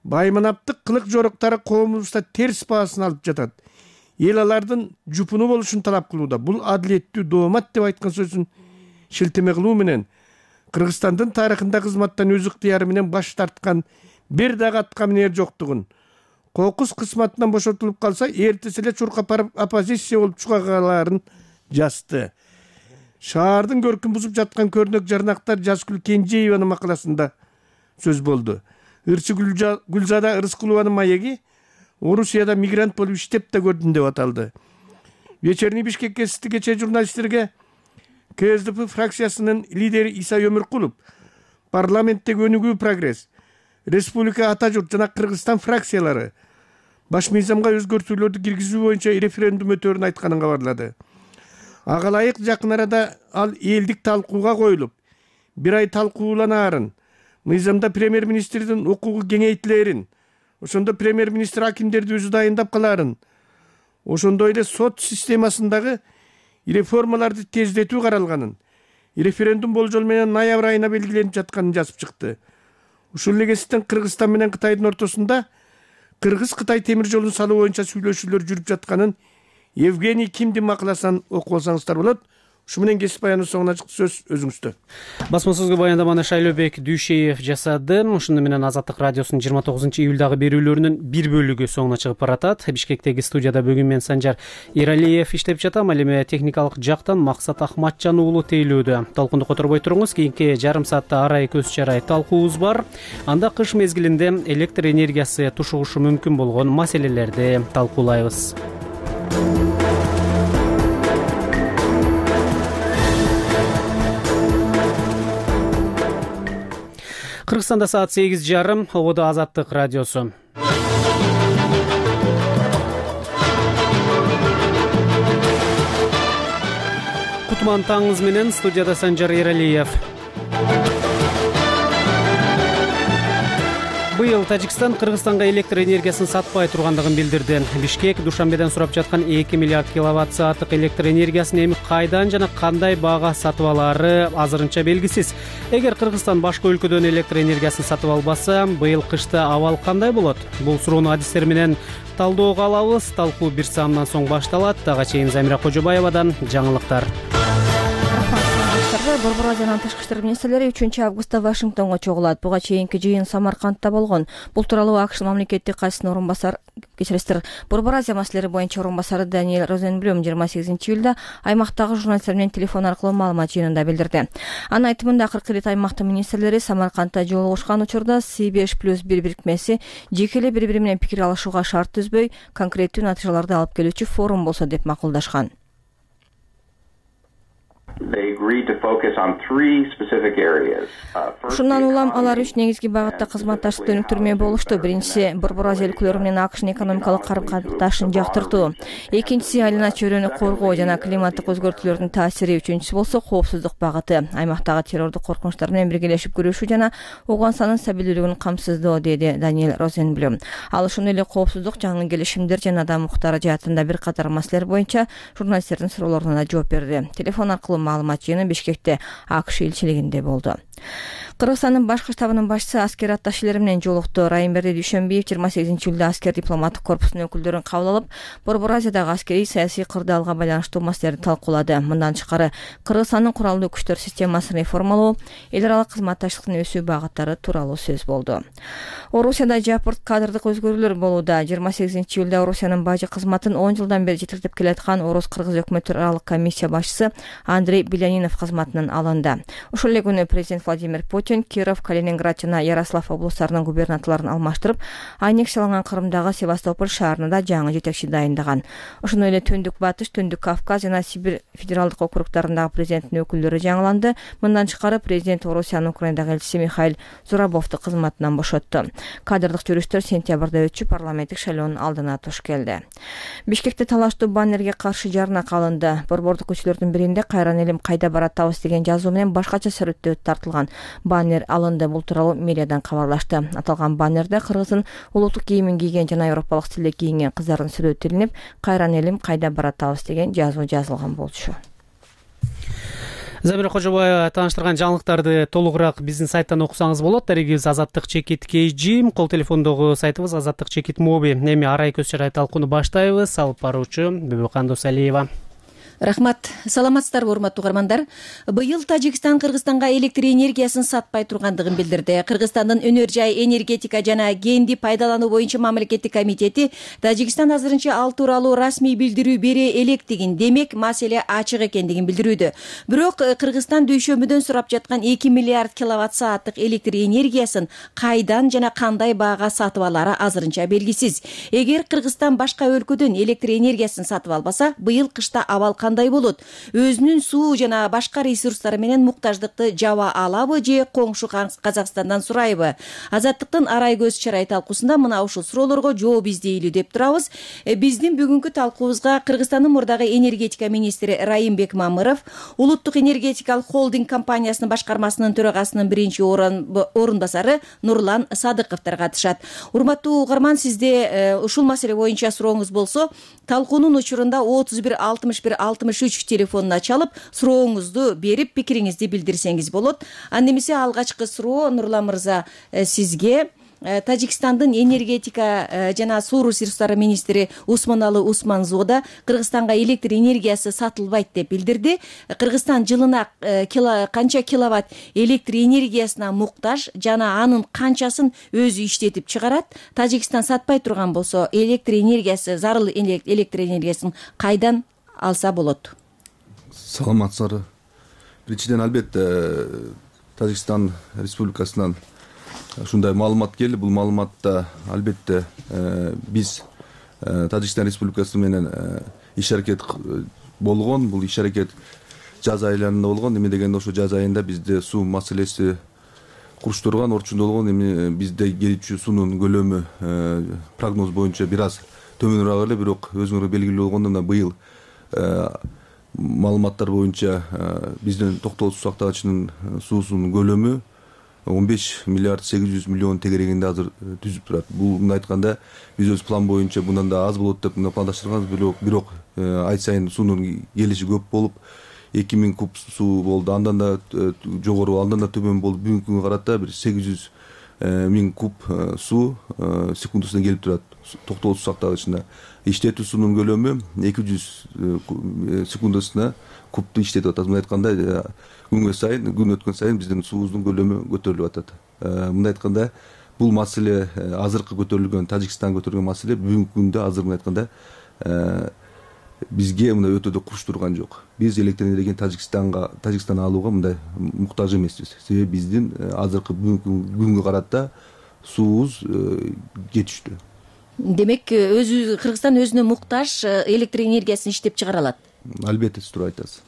байманаптык кылык жоруктары коомубузда терс баасын алып жатат. Эл алардын жупуну болушун талап кылууда. Бул адилеттүү доомат деп айткан сөзүн шилтеме кылуу менен Кыргызстандын тарыхында кызматтан өз ыктыяры менен баш тарткан бир дагы атка минер жоктугун, кокус кызматынан бошотулуп калса, эртеси эле чуркап барып оппозиция болуп чыга калаарын жазды. Шаардын көркүн бузуп жаткан көрнөк жарнактар Жазгүл Кенжееванын макаласында сөз болду. Ырчы Гүлзада Ырыскулованын маеги Орусияда мигрант болуп иштеп да көрдүм деп аталды. Вечерний Бишкек гезити кечээ журналисттерге КСДП фракциясынын лидери Иса Өмүркулов, парламенттеги өнүгүү прогресс, республика ата журт жана Кыргызстан фракциялары баш мыйзамга өзгөртүүлөрдү киргизүү боюнча референдум өтөөрүн айтканын кабарлады. Ага ылайык жакын арада ал элдик талкууга коюлуп, бир ай талкууланаарын, мыйзамда премьер-министрдин укугу кеңейтилээрин, ошондо премьер-министр акимдерди өзү дайындап калаарын, ошондой эле сот системасындагы реформаларды тездетүү каралганын, референдум болжол менен ноябрь айына белгиленип жатканын жазып чыкты. Ушул эле кесиптен Кыргызстан менен Кытайдын ортосунда Кыргыз-Кытай темир жолун салуу боюнча сүйлөшүүлөр жүрүп жатканын Евгений Кимдин макаласын окуп алсаңыздар болот. Ушу менен кесип баянын соңуна чыкты, сөз өзүңүздө. Басма сөзгө баяндаманы Шайлообек Дүйшеев жасады. Ушуну менен Азаттык радиосунун 29-июлдагы берүүлөрүнүн бир бөлүгү соңуна чыгып баратат. Бишкектеги студияда бүгүн мен Санжар Эралиев иштеп жатам. Ал эми техникалык жактан Максат Ахматжан уулу тейлөөдө. Талкунду которбой туруңуз. Кийинки жарым саатта арай көз чарай талкуубуз бар. Анда кыш мезгилинде электр энергиясы тушугушу мүмкүн болгон маселелерди талкуулайбыз. Кыргызстанда саат 8:30, ободо Азаттык радиосу. Кутман таңыңыз менен, студияда Санжар Эралиев. Быйыл Тажикстан Кыргызстанга электр энергиясын сатпай тургандыгын билдирди. Бишкек Душанбеден сурап жаткан 2 миллиард киловатт сааттык электр энергиясын эми кайдан жана кандай баага сатып алаары азырынча белгисиз. Эгер Кыргызстан башка өлкөдөн электр энергиясын сатып албаса, быйыл кышта абал кандай болот? Бул суроону адистер менен талдоого алабыз. Талкуу бир саамдан соң башталат. Ага чейин Замира Кожобаевадан жаңылыктар. Борбор Азиянын тышкы иштер министрлери 3-августта Вашингтонго чогулат. Буга чейинки жыйын Самаркандта болгон. Бул тууралуу АКШ мамлекеттик катчысынын орун басары, Борбор Азия маселелери боюнча орун басары Даниэль Розенблюм 28-июлда аймактагы журналисттер менен телефон аркылуу маалымат жыйынында билдирди. Анын айтымында акыркы ирет аймактын министрлери Самаркандта жолугушкан учурда C5+1 бирикмеси жеке эле бири-бири менен пикир алышууга шарт түзбөй, конкреттүү натыйжаларды алып келүүчү форум болсо деп макулдашкан. Ушундан улам алар 3 негизги багытта кызматташып өнүктүрмө болушту. Биринчиси Борбор Азия өлкөлөрү менен АКШнын экономикалык карым-катышташын жактыртуу. Экинчиси айлана чөйрөнү коргоо жана климаттык өзгөртүүлөрдүн таасири. Үчүнчүсү болсо коопсуздук багыты. Аймактагы террордук коркунучтар менен биргелешип күрөшүү жана Ауганстандын стабилдүүлүгүн камсыздоо, деди Даниэль Розенблюм. Ал ошондой эле коопсуздук, жаңы келишимдер жана адам укуктары жаатында бир катар маселелер боюнча журналисттердин суроолоруна да жооп берди. Телефон аркылуу маалымат жыйыны Бишкекте АКШ элчилигинде болду. Кыргызстандын башкы штабынын башчысы аскер атташчылары менен жолукту. Райымберди Дүйшөнбиев 28-июлда аскер дипломаттык корпусунун өкүлдөрүн кабыл алып, Борбор Азиядагы аскерий саясий кырдаалга байланыштуу маселелерди талкуулады. Мындан тышкары Кыргызстандын куралдуу күчтөр системасын реформалоо, эл аралык кызматташтыктын өсүү багыттары тууралуу сөз болду. Орусияда жапырт кадрдык өзгөрүүлөр болууда. 28-июлда Орусиянын бажы кызматын 10 жылдан бери жетектеп келаткан Орус-Кыргыз өкмөттөр аралык комиссия башчысы Андрей Белянинов кызматынан алынды. Ошол эле күнү президент Владимир Путин Киров, Калининград жана Ярослав облустарынын губернаторлорун алмаштырып, аннексияланган Кырымдагы Севастополь шаарында жаңы жетекчи дайындаган. Ошондой эле Түндүк Батыш, Түндүк Кавказ жана Сибирь федералдык округдарындагы президенттин өкүлдөрү жаңыланды. Мындан тышкары президент Орусиянын Украинадагы элчиси Михаил Зурабовду кызматынан бошотту. Кадрдык жүрүштөр сентябрда өтчү парламенттик шайлоонун алдына туш келди. Бишкекте талаштуу баннерге каршы жарнак алынды. Борбордук көчөлөрдүн биринде "Кайран элим кайда баратабыз" деген жазуу менен башкача сүрөттө тартылган баннер алынды. Бул тууралуу мэриядан кабарлашты. Аталган баннерде кыргыздын улуттук кийимин кийген жана европалык стилде кийинген кыздардын сүрөтү илинип, "Кайран элим кайда баратабыз" деген жазуу жазылган болчу. Замира Кожобаева тааныштырган жаңылыктарды толугураак биздин сайттан окусаңыз болот. Дарегибиз Азаттык чекит KG, кол телефондогу сайтыбыз Азаттык чекит Моби. Эми арай көз чарай талкууну баштайбыз. Алып баруучу Бүбүкан Досалиева. Рахмат. Саламатсыздарбы, урматтуу угармандар. Быйыл Тажикстан Кыргызстанга электр энергиясын сатпай тургандыгын билдирди. Кыргызстандын өнөр жай, энергетика жана генди пайдалануу боюнча мамлекеттик комитети Тажикстан азырынча ал тууралуу расмий билдирүү бере электигин, демек маселе ачык экендигин билдирүүдө. Бирок Кыргызстан Дүйшөмбүдөн сурап жаткан 2 миллиард киловатт сааттык электр энергиясын кайдан жана кандай баага сатып алары азырынча белгисиз. Эгер Кыргызстан башка өлкөдөн электр энергиясын сатып албаса, быйыл кышта абал кандай болот? Өзүнүн суу жана башка ресурстары менен муктаждыкты жаба алабы же коңшу Казакстандан сурайбы? Азаттыктын арай көз чарай талкуусунда мына ушул суроолорго жооп издейлүү деп турабыз. Биздин бүгүнкү талкуубузга Кыргызстандын мурдагы энергетика министри Райымбек Мамыров, Улуттук энергетикалык холдинг компаниясынын башкармасынын төрагасынын биринчи орун басары Нурлан Садыковдор катышат. Урматтуу угарман, сизде ушул маселе боюнча сурооңуз болсо, талкуунун учурунда 31 61 60 телефонуна чалып сурооңузду берип пикириңизди билдирсеңиз болот. Анда эмесе алгачкы суроо Нурлан мырза сизге. Тажикстандын энергетика жана суу ресурстары министри Усманалы Усманзода Кыргызстанга электр энергиясы сатылбайт деп билдирди. Кыргызстан жылына канча киловатт электр энергиясына муктаж жана анын канчасын өзү иштетип чыгарат? Тажикстан сатпай турган болсо электр энергиясы, зарыл электр энергиясын кайдан алса болот? Саламатсыздар. Биринчиден албетте Тажикстан Республикасынан ушундай маалымат келди. Бул маалыматта албетте биз Тажикстан Республикасы менен иш аракет болгон. Бул иш аракет жаз айларында болгон. Эме дегенде ошо жаз айында бизде суу маселеси куруштурган, орчундо болгон. Эми бизде келүүчү суунун көлөмү прогноз боюнча бир аз төмөнүрөөк эле, бирок өзүңөр белгилүү болгондой мына быйыл маалыматтар боюнча биздин Токтогул суу сактагычынын суусунун көлөмү 15 миллиард 800 миллион тегерегинде азыр түзүп турат. Бул мындай айтканда биз өз план боюнча мындан да аз болот деп пландаштырганбыз, бирок ай сайын суунун келиши көп болуп 2000 куб суу болду. Андан да жогору, андан да төмөн болуп бүгүнкү күнгө карата бир 800 миң куб суу секундасына келип турат Токтогул суу сактагычына. Иштетүү суунун көлөмү 200 секундасына кубту иштетип атат. Мындай айтканда күн өткөн сайын биздин суубуздун көлөмү көтөрүлүп атат. Мындай айтканда бул маселе азыркы көтөрүлгөн, Тажикстан көтөргөн маселе бүгүнкү күндө азыр мындай айтканда бизге мындай өтө да куруштурган жок. Биз электр энергияны Тажикстандан алууга мындай муктаж эмеспиз. Себеби биздин азыркы бүгүнкү күнгө карата суубуз жетиштүү. Демек, Кыргызстан өзүнө муктаж электр энергиясын иштеп чыгара алат. Албетте туура айтасыз.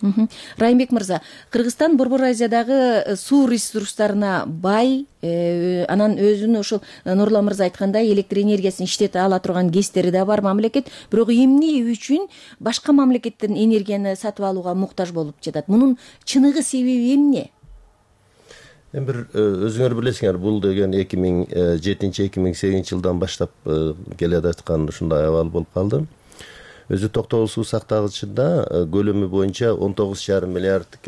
Райымбек мырза, Кыргызстан Борбор Азиядагы суу ресурстарына бай, анан өзүнүн ошол Нурлан мырза айткандай электр энергиясын иштете ала турган кездери да бар мамлекет, бирок эмне үчүн башка мамлекеттен энергияны сатып алууга муктаж болуп жатат? Мунун чыныгы себеби эмне? Эми бир өзүңөр билесиңер, бул деген 2007-2008 жылдан баштап келе жаткан ушундай абал болуп калды. Өзү Токтогул суу сактагычында көлөмү боюнча 19,5 миллиард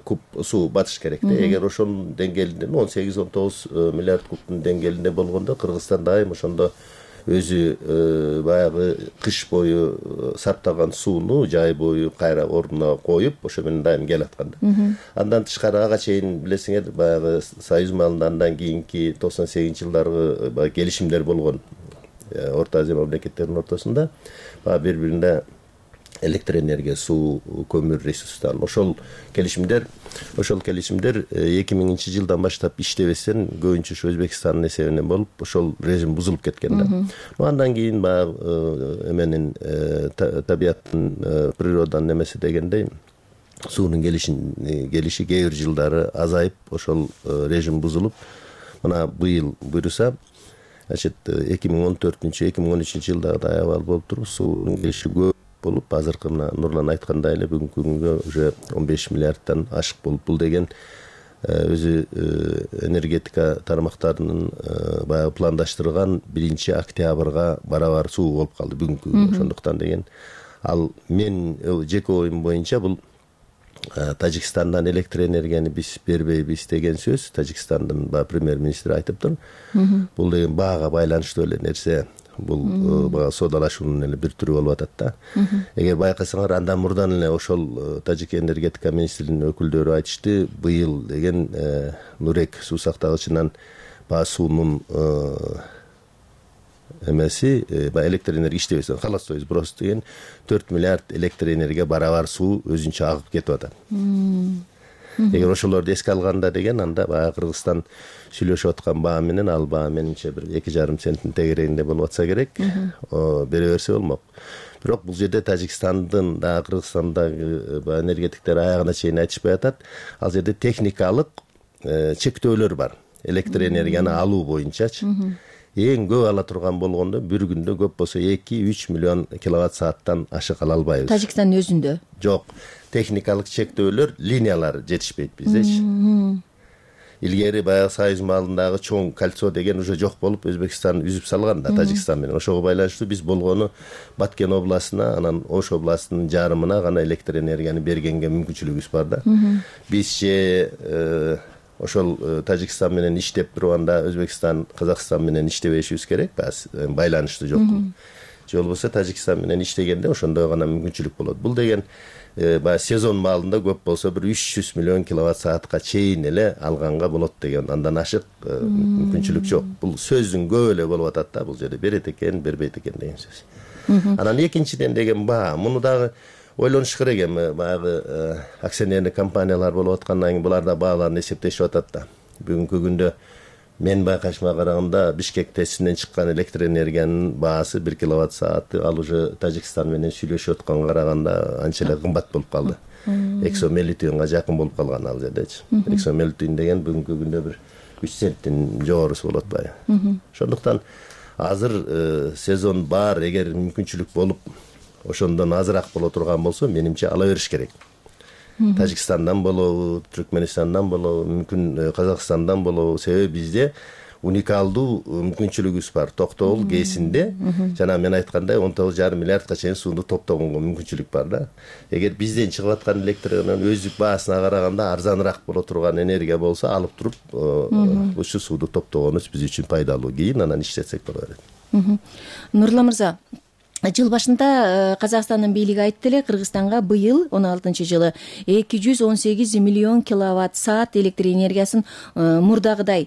куб суу батыш керек да. Эгер ошонун деңгээлинде 18-19 миллиард кубтун деңгээлинде болгондо Кыргызстан дайым ошондо өзү баягы кыш бою сактаган сууну жай бою кайра ордуна коюп ошо менен дайым келаткан да. Андан тышкары ага чейин билесиңер, баягы Союз маалында андан кийинки 98-жылдаргы баягы келишимдер болгон. Орто Азия мамлекеттеринин ортосунда бири-бирине электр энергия, суу, көмүр ресурстарын ошол келишимдер 2000 жылдан баштап иштебестен көбүнчө ушу Өзбекстандын эсебинен болуп, ошол режим бузулуп кеткен да. Андан кийин баягы эменин табияттын, природанын эмеси дегендей суунун келиши кээ бир жылдары азайып, ошол режим бузулуп, мына быйыл буюрса 2014-2013 жылдагы абал болуп туруп, суунун келиши көп болуп, азыркы мына Нурлан айткандай эле бүгүнкү күнгө уже 15 миллиардтан ашык болуп, бул деген өзү энергетика тармактарынын баягы пландаштырган 1-октябрга барабар суу болуп калды бүгүнкү күнгө. Ошондуктан деген ал мен жеке оюм боюнча бул Тажикстандан электр энергияны биз бербейбиз деген сөз Тажикстандын премьер-министри айтыптыр. Бул деген баага байланыштуу эле нерсе. Бул бага содалашуунун эле бир түрү болуп атат да. Эгер байкасаңар, андан мурдан эле ошол Тажик энергетика министринин өкүлдөрү айтышты, быйыл деген Нурек суу сактагычынан суунун эмеси электр энергия иштебесе халастойбуз просто деген 4 миллиард электр энергия барабар суу өзүнчө агып кетип атат. Эгер ошолорду эске алганда деген, анда баягы Кыргызстан сүйлөшүп аткан баа менен ал баа менимче бир 2,5 центтин тегерегинде болуп атса керек, бере берсе болмок. Бирок бул жерде Тажикстандын да Кыргызстандагы энергетиктер аягына чейин айтышпай атат. Ал жерде техникалык чектөөлөр бар. Электр энергияны алуу боюнчачы. Эң көп ала турган болгондо бир күндө көп болсо 2-3 миллион киловатт сааттан ашык ала албайбыз. Тажикстандын өзүндө? Жок. Техникалык чектөөлөр, линиялар жетишпейт биздечи. илгери баягы союз маалындагы чоң кольцо деген уже жок болуп, Өзбекстан үзүп салган да Тажикстан менен. Ошого байланыштуу биз болгону Баткен областына, анан Ош областынын жарымына гана электр энергияны бергенге мүмкүнчүлүгүбүз бар да. Биз ошол Тажикстан менен иштеп турганда Өзбекстан, Казакстан менен иштебешибиз керек, байланыштуу жок. Же болбосо Тажикстан менен иштегенде ошондой гана мүмкүнчүлүк болот. Бул деген баягы сезон маалында көп болсо бир 300 миллион киловатт саатка чейин эле алганга болот деген, андан ашык мүмкүнчүлүк жок. Бул сөздүн көп эле болуп атат да, бул жерде берет экен, бербейт экен деген сөз. Анан экинчиден деген муну дагы ойлонуш керек эми, баягы акционердик компаниялар болуп аткандан кийин булар да бааларын эсептешип атат да. Бүгүнкү күндө мен байкашыма караганда Бишкек ТЭСинен чыккан электр энергиянын баасы 1 киловатт сааты ал уже Тажикстан менен сүйлөшүп атканга караганда анча эле кымбат болуп калды. Эксомелитинга жакын болуп калган ал жердечи. Эксомелитин деген бүгүнкү күндө бир 3 центтин жогорусу болот баягы. Ошондуктан азыр сезон бар, эгер мүмкүнчүлүк болуп ошондон азыраак боло турган болсо, менимче ала бериш керек. Тажикстандан болобу, Түркменистандан болобу, мүмкүн Казакстандан болобу, себеби бизде уникалдуу мүмкүнчүлүгүбүз бар. Токтогул ГЭСинде жана мен айткандай 19,5 миллиардка чейин сууну топтогонго мүмкүнчүлүк бар да. Эгер бизден чыгып аткан электроэнергиянын өздүк баасына караганда арзаныраак боло турган энергия болсо, алып туруп ушу сууду топтогонубуз биз үчүн пайдалуу. Кийин анан иштетсек боло берет. Нурулла мырза, жыл башында Казакстандын бийлиги айтты эле, Кыргызстанга быйыл 16-жылы 218 миллион киловатт саат электр энергиясын мурдагыдай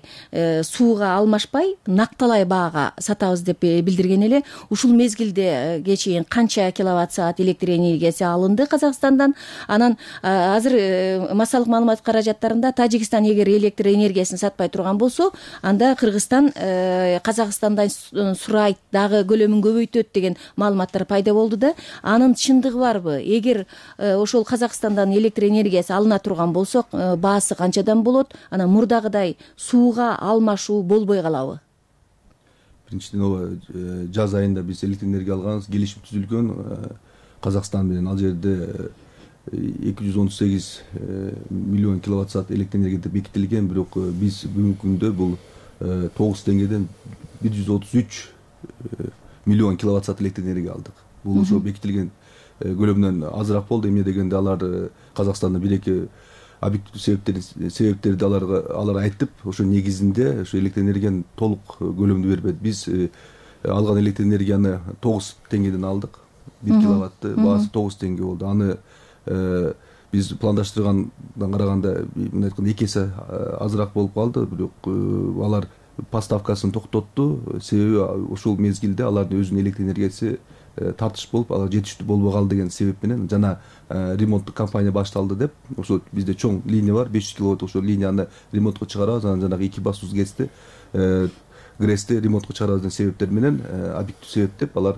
сууга алмашпай накталай баага сатабыз деп билдирген эле. Ушул мезгилде чейин канча киловатт саат электр энергиясы алынды Казакстандан? Анан азыр массалык маалымат каражаттарында Тажикстан эгер электр энергиясын сатпай турган болсо, анда Кыргызстан Казакстандан сурайт, дагы көлөмүн көбөйтөт деген маалыматтар пайда болду да. Анын чындыгы барбы? Эгер ошол Казакстандан электр энергиясы алына турган болсо, баасы канчадан болот? Анан мурдагыдай сууга алмашуу болбой калабы? Биринчиден жаз айында биз электр энергия алганбыз, келишим түзүлгөн. Казакстан менен ал жерде 218 миллион киловатт саат электр энергия деп бекитилген, бирок биз бүгүнкү күндө бул 9 теңгеден 133 миллион киловатт саат электр энергия алдык. Бул ошо бекитилген көлөмдөн азыраак болду. Эмне дегенде алар Казакстанда бир-эки объективдүү себептерди алар айтып, ошо негизинде ошо электр энергияны толук көлөмдө бербedi. Биз алган электр энергияны 9 теңгеден алдык. 1 киловатты баасы 9 теңге болду. Аны биз пландаштыргандан караганда, мен айтканда 2 эсе азыраак болуп калды, бирок алар поставкасын токтотту. Себеби ошол мезгилде алардын өзүнүн электр энергиясы тартыш болуп, алар жетиштүү болбой калды деген себеп менен жана ремонттук кампания башталды деп, ошо бизде чоң линия бар, 500 киловатт, ошо линияны ремонтко чыгарабыз, анан жанагы 2 басуз ГРЭСти ремонтко чыгарабыз деген себептер менен, объективдүү себеп деп алар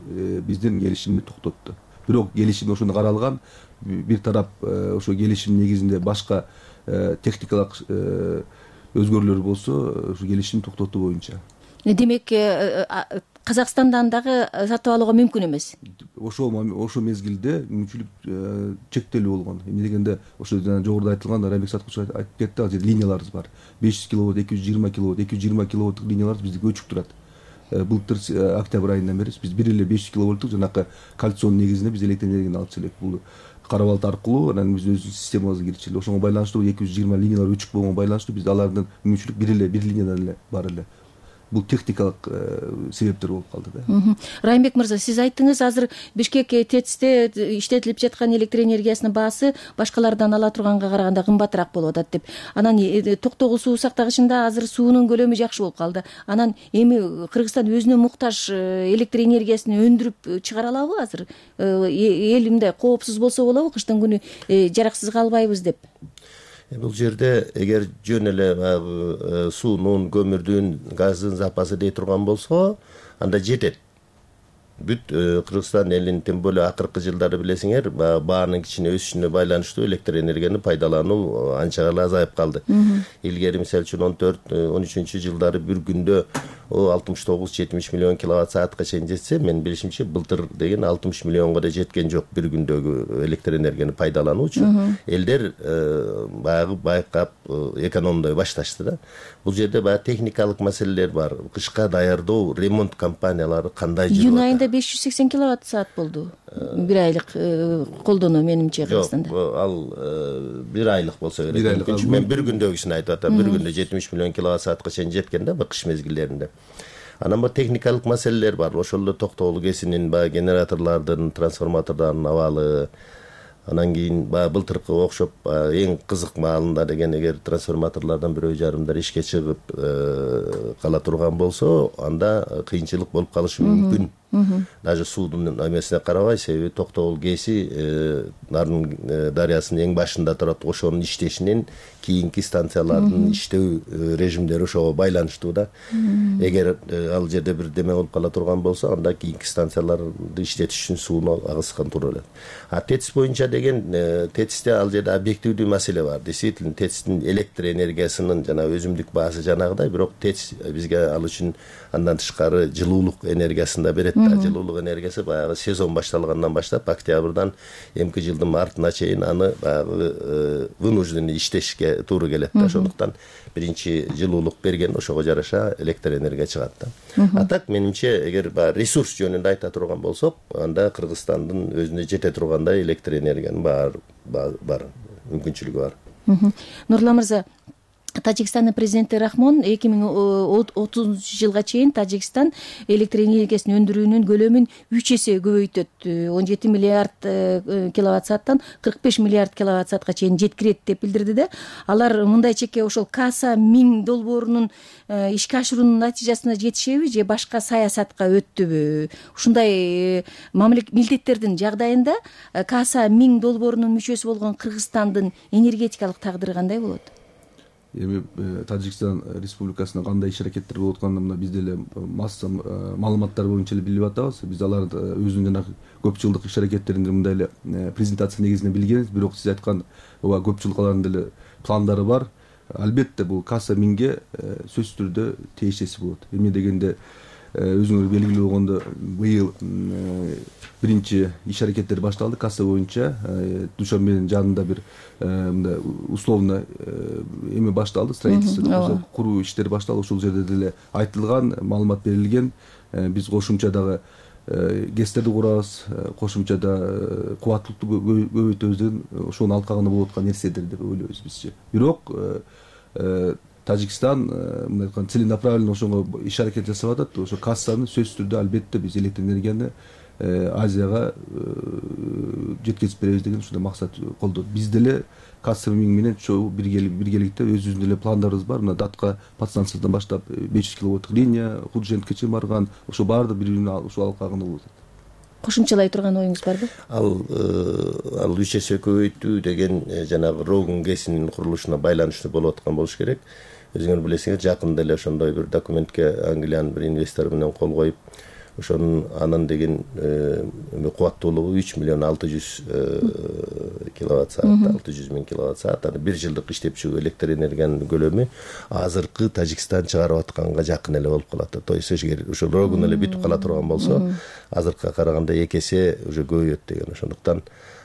биздин келишимди токтотту. Бирок келишим ошондо каралган, бир тарап ошо келишим негизинде башка техникалык өзгөрүүлөр болсо, ошо келишим токтотуу боюнча. Демек, Казакстандан дагы сатып алууга мүмкүн эмес. Ошо мезгилде мүмкүнчүлүк чектелүү болгон. Эмне дегенде, ошо жогоруда айтылган, Райымбек Саткулович айтып кетти, ал жерде линияларыбыз бар. 500 киловатт, 220 киловатт, 220 киловатттык линияларыбыз бизде өчүк турат. Былтыр октябрь айынан бери биз бир эле 500 киловатттык жанакы кальционун негизинде биз электр энергияны алып келек. Бул Карабалт аркылуу анан биз өзүбүздүн системабызга кирчиле. Ошого байланыштуу 220 линиялар өчүк болгонго байланыштуу бизде алардын мүмкүнчүлүк бир линиядан эле бар эле. Бул техникалык себептер болуп калды да. Райымбек мырза, сиз айттыңыз, азыр Бишкек ТЭЦте иштетилип жаткан электр энергиясынын баасы башкалардан ала турганга караганда кымбатыраак болуп атат деп. Анан Токтогул суу сактагычында азыр суунун көлөмү жакшы болуп калды. Анан эми Кыргызстан өзүнө муктаж электр энергиясын өндүрүп чыгара алабы азыр? Эл мындай коопсуз болсо болобу, кыштын күнү жараксыз калбайбыз деп? Бул жерде эгер жөн эле суунун, көмүрдүн, газдын запасы дей турган болсо, анда жетет. Бүт Кыргызстан элинин, тем более акыркы жылдары билесиңер, баанын кичине өсүшүнө байланыштуу электр энергияны пайдалануу анча эле азайып калды. Илгери мисалы үчүн 14-13 жылдары бир күндө 69-70 миллион киловатт саатка чейин жетсе, менин билишимче былтыр деген 60 миллионго да жеткен жок бир күндөгү электр энергияны пайдалануучу. Элдер баягы байкап экономдой башташты да. Бул жерде баягы техникалык маселелер бар. Кышка даярдоо, ремонт компаниялары кандай жүрүп атат? Июнь айында 580 киловатт саат болду. Бир айлык колдонуу менимче Кыргызстанда. Жок, ал бир айлык болсо керек. Мен бир күндөгүсүн айтып атам. Бир күндө 70 миллион киловатт саатка чейин жеткен да, кыш мезгилдеринде. Анан бул техникалык маселелер бар. Ошол эле Токтогул КЭСинин баягы генераторлордун, трансформатордордун абалы, анан кийин баягы былтыркы окшоп эң кызык маалында деген эгер трансформаторлордон бирөө жарымдар ишке чыгып кала турган болсо, анда кыйынчылык болуп калышы мүмкүн. Даже суудун эмесине карабай, себеби Токтогул КЭСи Нарын дарыясынын эң башында турат. Ошонун иштешинен кийинки станциялардын иштөө режимдери ошого байланыштуу да. Эгер ал жерде бир деме болуп кала турган болсо, анда кийинки станцияларды иштетиш үчүн сууну агызган тура элет. ТЭЦ боюнча деген ТЭЦте ал жерде объективдүү маселе бар. Действительно, ТЭЦтин электр энергиясынын жана өзүмдүк баасы жанагыдай, бирок ТЭЦ бизге ал үчүн андан тышкары жылуулук энергиясын да берет. Жылуулук энергиясы баягы сезон башталгандан баштап октябрдан эмки жылдын мартына чейин аны баягы вынужденный иштешке туура келет да. Ошондуктан биринчи жылуулук берген, ошого жараша электр энергия чыгат да. А так менимче, эгер ресурс жөнүндө айта турган болсок, анда Кыргызстандын өзүнө жете тургандай электр энергиянын бар мүмкүнчүлүгү бар. Нурлан мырза, Тажикстандын президенти Рахмон 2030 жылга чейин Тажикстан электр энергиясын өндүрүүнүн көлөмүн 3 эсе көбөйтөт. 17 миллиард киловатт сааттан 45 миллиард киловатт саатка чейин жеткирет деп билдирди да. Алар мындай чекке ошол Каса 1000 долбоорунун ишке ашыруунун натыйжасына жетишеби же башка саясатка өттүбү? Ушундай милдеттердин жагдайында Каса 1000 долбоорунун мүчөсү болгон Кыргызстандын энергетикалык тагдыры кандай болот? Эми Тажикстан Республикасында кандай иш-аракеттер болуп атканын мына биз деле масса маалыматтар боюнча эле билип атабыз. Биз аларды өзүнүн жанагы көп жылдык иш-аракеттеринде мындай эле презентация негизинде билгенбиз, бирок сиз айткан ооба көп жылдык алардын деле пландары бар. Албетте бул Каса 1000ге сөзсүз түрдө тиешеси болот. Эмне дегенде өзүңөр белгилүү болгондо быйыл биринчи иш-аракеттер башталды Каса боюнча. Душанбенин жанында бир мындай условно эме башталды, строительство, куруу иштери башталды. Ошол жерде деле айтылган, маалымат берилген. Биз кошумча дагы ГЭСтерди курабыз, кошумча да кубаттуулукту көбөйтөбүз деген ошонун алкагында болуп аткан нерседер деп ойлойбуз бизче. Бирок Тажикстан мындай айтканда целенаправленно ошого иш-аракет жасап атат. Ошо Кассаны сөзсүз түрдө албетте биз электр энергияны Азияга жеткизип беребиз деген ушундай максат колдойт. Биз деле Каса 1000 менен биргеликте өзүбүздүн эле пландарыбыз бар. Мына Датка подстанциясынан баштап 500 киловатттык линия, Худшенткке чейин барган, ошо баардык бири-бирин ушул алкагында болуп атат. Кошумчалай турган оюңуз барбы? Ал 3 эсе көбөйтүү деген жанагы Рогун ГЭСинин курулушуна байланыштуу болуп аткан болуш керек. Өзүңөр билесиңер, жакында эле ошондой бир документке Англиянын бир инвестору менен кол коюп, ошонун анын деген кубаттуулугу 3 миллион 600 киловатт саат, 600 миң киловатт саат. Аны бир жылдык иштепчү электр энергиянын көлөмү азыркы Тажикстан чыгарып атканга жакын эле болуп калат. То есть эгер ошол Рогун эле бүтүп кала турган болсо, азыркыга караганда 2 эсе уже көбөйөт деген. Ошондуктан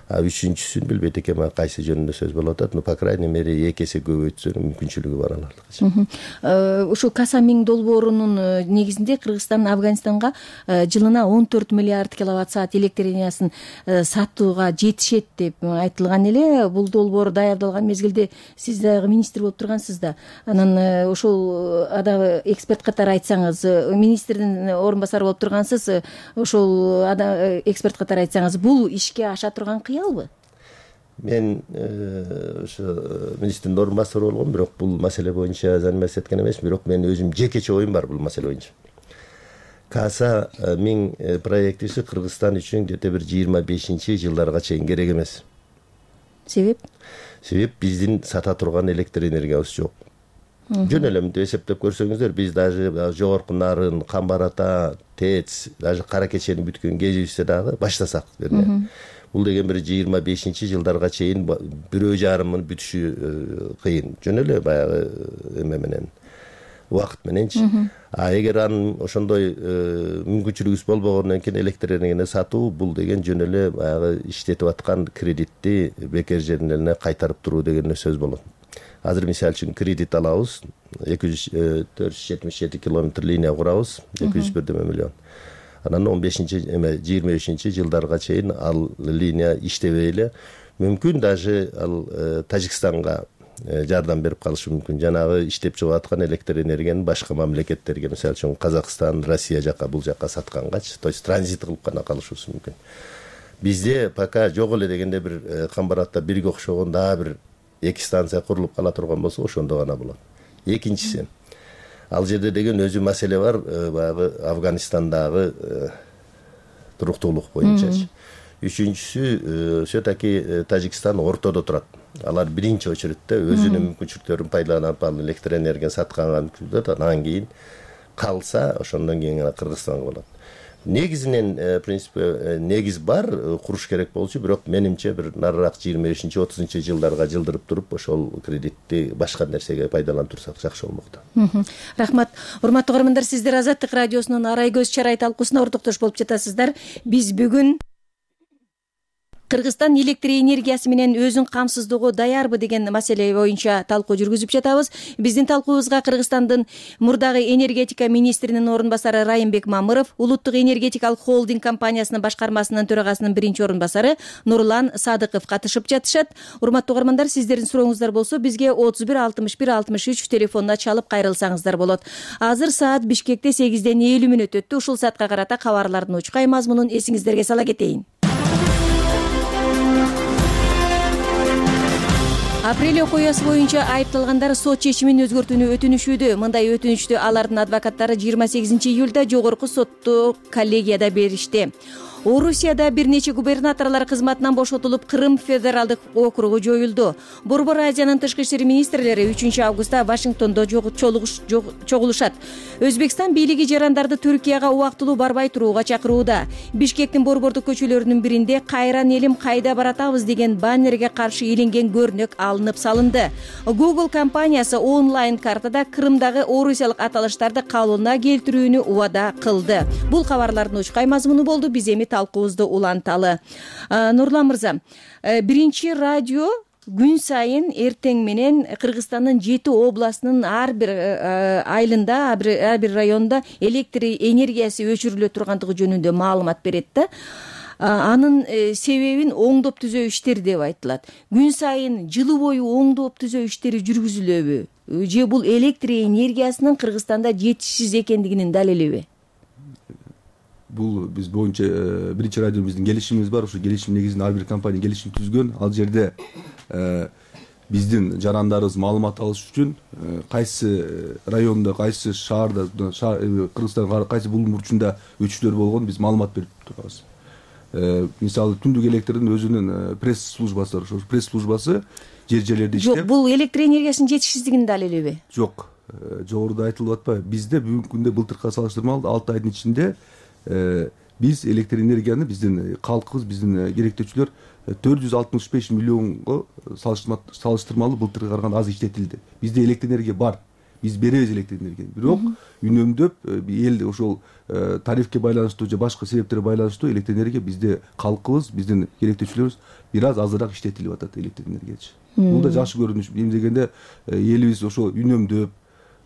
үчүнчүсүн билбейт экенмин кайсы жөнүндө сөз болуп атат, но по крайней мере 2 эсе көбөйтсө мүмкүнчүлүгү бар алардыкы. Ушул Каса 1000 долбоорунун негизинде Кыргызстан Афганистанга жылына 14 миллиард киловатт саат электр энергиясын сатууга жетишет деп айтылган эле. Бул долбоор даярдалган мезгилде сиз дагы министр болуп тургансыз да. Анан ошол эксперт катары айтсаңыз, министрдин орун басары болуп тургансыз, ошол эксперт катары айтсаңыз, бул ишке аша турган кыялбы? Мен ошо министрдин орун басары болгом, бирок бул маселе боюнча заниматься эткен эмес, бирок менин өзүм жекече оюм бар бул маселе боюнча. Каса 1000 проектиси Кыргызстан үчүн где-то бир 25-жылдарга чейин керек эмес. Себеп? Себеп биздин сата турган электр энергиябыз жок. Жөн эле мынтип эсептеп көрсөңүздөр, биз даже жогорку Нарын, Камбар Ата, ТЭЦ, даже Кара Кечени бүткөн кезибизде дагы баштасак берне. Бул деген бир 25-жылдарга чейин бирөө жарымын бүтүшү кыйын. Жөн эле баягы эме менен убакыт мененчи. Эгер анын ошондой мүмкүнчүлүгүбүз болбогондон кийин электр энергияны сатуу бул деген жөн эле баягы иштетип аткан кредитти бекер жерине кайтарып туруу деген сөз болот. Азыр мисалы үчүн кредит алабыз, 477 километр линия курабыз, 201 миллион. Анан 15-23 жылдарга чейин ал линия иштебей эле, мүмкүн даже ал Тажикстанга жардам берип калышы мүмкүн. Жанагы иштеп чыгып аткан электр энергияны башка мамлекеттерге, мисалы үчүн Казакстан, Россия жака, бул жака саткангачы, то есть транзит кылып гана калышыбыз мүмкүн. Бизде пока жок эле дегенде бир Камбаратта бирге окшогон дагы бир 2 станция курулуп кала турган болсо, ошондо гана болот. Экинчиси, ал жерде деген өзү маселе бар, баягы Афганистандагы туруктуулук боюнчачы. Үчүнчүсү, все-таки Тажикстан ортодо турат. Алар биринчи очередте өзүнүн мүмкүнчүлүктөрүн пайдаланып, ал электр энергияны сатканга мүмкүндүк, анан кийин калса, ошондон кийин гана Кыргызстанга болот. Негизинен, принципе, негиз бар, куруш керек болчу, бирок менимче бир нарыраак 25-30 жылдарга жылдырып туруп, ошол кредитти башка нерсеге пайдаланып турсак жакшы болмокто. Рахмат. Урматтуу угармандар, сиздер Азаттык радиосунун Арай көз чарай талкуусуна ортоктош болуп жатасыздар. Биз бүгүн Кыргызстан электр энергиясы менен өзүн камсыздоого даярбы деген маселе боюнча талкуу жүргүзүп жатабыз. Биздин талкуубузга Кыргызстандын мурдагы энергетика министринин орун басары Райымбек Мамыров, Улуттук энергетикалык холдинг компаниясынын башкармасынын төрагасынын биринчи орун басары Нурлан Садыков катышып жатышат. Урматтуу угармандар, сиздердин сурооңуздар болсо бизге 31 61 63 телефонуна чалып кайрылсаңыздар болот. Азыр саат Бишкекте 8:50 өттү. Ушул саатка карата кабарлардын учкай мазмунун эсиңиздерге сала кетейин. Апрель окуясы боюнча айыпталгандар сот чечимин өзгөртүүнү өтүнүшүүдө. Мындай өтүнүштү алардын адвокаттары 28 июлда жогорку сотту коллегияда беришти. Орусияда бир нече губернаторлор кызматынан бошотулуп, Кырым федералдык округу жоюлду. Борбор Азиянын тышкы иштер министрлери 3 августта Вашингтондо чогулушат. Өзбекстан бийлиги жарандарды Түркияга убактылуу барбай турууга чакырууда. Бишкектин борбордук көчөлөрүнүн биринде "Кайран элим, кайда баратабыз" деген баннерге каршы иленген көрнөк алынып салынды. Google компаниясы онлайн картада Кырымдагы орусиялык аталыштарды калыбына келтирүүнү убада кылды. Бул кабарлардын учкай мазмуну болду. Биз эми талкуубузду уланталы. Нурлан мырза, биринчи радио күн сайын эртең менен Кыргызстандын 7 областынын ар бир айылында, ар бир районунда электр энергиясы өчүрүлө тургандыгы жөнүндө маалымат берет да. Анын себебин оңдоп түзөө иштери деп айтылат. Күн сайын жылы бою оңдоп түзөө иштери жүргүзүлөбү? Же бул электр энергиясынын Кыргызстанда жетишсиз экендигинин далилиби? Бул биз боюнча биринчи радио биздин келишимибиз бар. Ошо келишим негизинде ар бир компания келишим түзгөн. Ал жерде биздин жарандарыбыз маалымат алыш үчүн кайсы райондо, кайсы шаарда, Кыргызстандын кайсы булуң бурчунда өчүрлөр болгон биз маалымат берип турабыз. Мисалы түндүк электрдин өзүнүн пресс службасы бар. Ошо пресс службасы жер-жерлерде иштеп. Жок, бул электр энергиясынын жетишсиздигинин далилиби? Жок. Жогоруда айтылып атпайбы? Бизде бүгүнкү күндө былтыркыга салыштырмалуу 6 айдын ичинде биз электр энергияны биздин калкыбыз, биздин керектөөчүлөр 465 миллионго салыштырмалуу былтыркыга караганда аз иштетилди. Бизде электр энергия бар. Биз беребиз электр энергияны. Бирок үнөмдөп эл ошол тарифке байланыштуу же башка себептерге байланыштуу электр энергия бизде калкыбыз, биздин керектөөчүлөрүбүз бир аз азыраак иштетилип атат электр энергиячы. Бул да жакшы көрүнүш. Эмне дегенде элибиз ошо үнөмдөп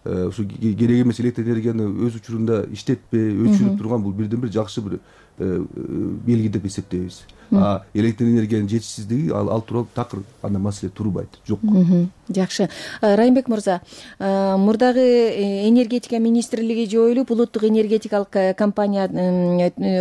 ушу керек эмес электр энергияны өз учурунда иштетпей, өчүрүп турган бул бирден бир жакшы бир белги деп эсептейбиз. Электр энергиянын жетишсиздиги ал тууралуу такыр андай маселе турбайт. Жок. Жакшы. Райымбек мырза, мурдагы энергетика министрлиги жоюлуп, улуттук энергетикалык компания,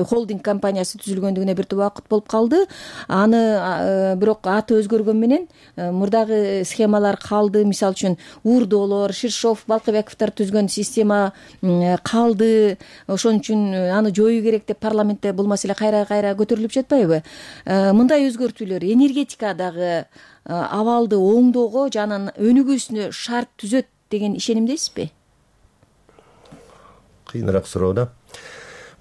холдинг компаниясы түзүлгөндүгүнө бир убакыт болуп калды. Аны бирок аты өзгөргөн менен мурдагы схемалар калды. Мисалы үчүн Урдолор, Ширшов, Балкыбековдор түзгөн система калды. Ошон үчүн аны жоюу керек деп парламентте бул маселе кайра көтөрүлүп жатпайбы? Мындай өзгөртүүлөр энергетикадагы абалды оңдоого жана өнүгүүсүнө шарт түзөт деген ишенимдесизби? Кыйыныраак суроо да.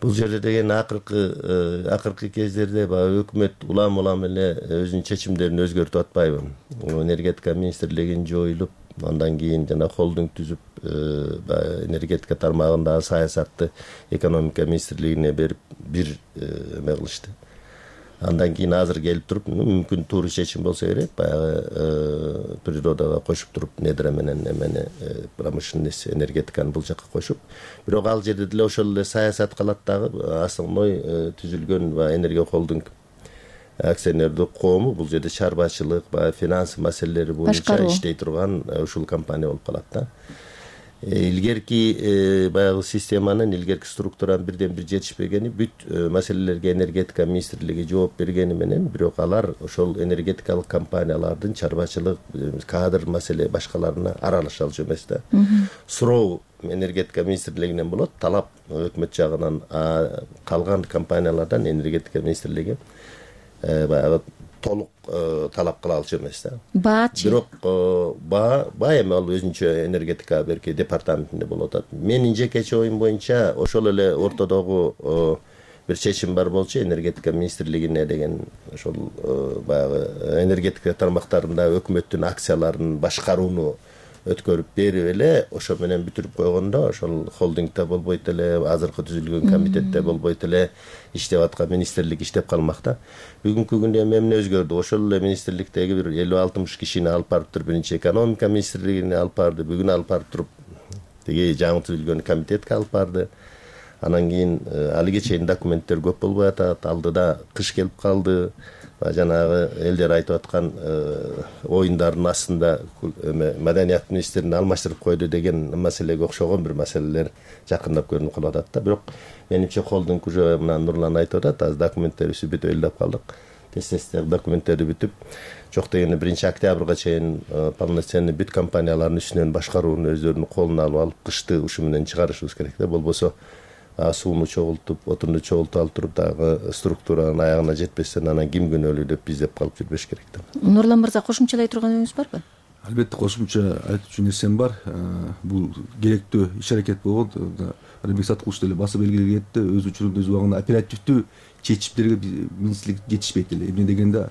Бул жерде деген акыркы кездерде баягы өкмөт улам эле өзүнүн чечимдерин өзгөртүп атпайбы? Энергетика министрлигин жоюлуп, андан кийин жана холдинг түзүп баягы энергетика тармагындагы саясатты экономика министрлигине берип бир эме кылышты. Андан кийин азыр келип туруп мүмкүн туура чечим болсо керек, баягы природага кошуп туруп недра менен эмени промышленность энергетиканы бул жака кошуп, бирок ал жерде деле ошол эле саясат калат дагы. Основной түзүлгөн баягы энергия холдинг акционердик коому бул жерде чарбачылык, баягы финанс маселелери боюнча иштей турган ушул компания болуп калат да. Илгерки баягы системанын, илгерки структуранын бирден бир жетишпегени, бүт маселелерге энергетика министрлиги жооп бергени менен, бирок алар ошол энергетикалык компаниялардын чарбачылык, кадр маселе башкаларына аралаша алчу эмес да. Суроо энергетика министрлигинен болот, талап өкмөт жагынан калган компаниялардан энергетика министрлиги баягы толук талап кыла алчу эмес да. Баачы. Бирок баа эми ал өзүнчө энергетика берки департаментинде болуп атат. Менин жекече оюм боюнча ошол эле ортодогу бир чечим бар болчу, энергетика министрлигине деген ошол баягы энергетика тармактарында өкмөттүн акцияларын башкарууну өткөрүп берип эле ошо менен бүтүрүп койгондо, ошол холдингде болбойт эле, азыркы түзүлгөн комитетте болбойт эле, иштеп аткан министрлик иштеп калмак да. Бүгүнкү күндө эмне өзгөрдү? Ошол эле министрликтеги бир 50-60 кишини алып барып туруп, биринчи экономика министрлигине алып барды, бүгүн алып барып туруп тиги жаңы түзүлгөн комитетке алып барды. Анан кийин алиге чейин документтер көп болбой атат, алдыда кыш келип калды. Жанагы элдер айтып аткан оюндардын астында маданият министрин алмаштырып койду деген маселеге окшогон бир маселелер жакындап көрүнүп калып атат да. Бирок менимче холдинг уже мына Нурлан айтып атат, азыр документтерибизди бүтүп элдеп калдык. Тез документтерди бүтүп, жок дегенде 1-октябрга чейин полноценный бүт компаниялардын үстүнөн башкарууну өздөрүнүн колуна алып, кышты ушу менен чыгарышыбыз керек да. Болбосо сууну чогултуп, отунду чогултуп алып туруп дагы структуранын аягына жетпестен анан ким күнөөлүү деп биздеп калып жүрбөш керек да. Нурлан мырза, кошумчалай турганыңыз барбы? Албетте кошумча айтчу нерсем бар. Бул керектүү иш аракет болгон. Арбек Саткулович деле басып белгилеген кетти. Өз учурунда өз убагында оперативдүү чечимдерге министрлик жетишпейт эле. Эмне дегенде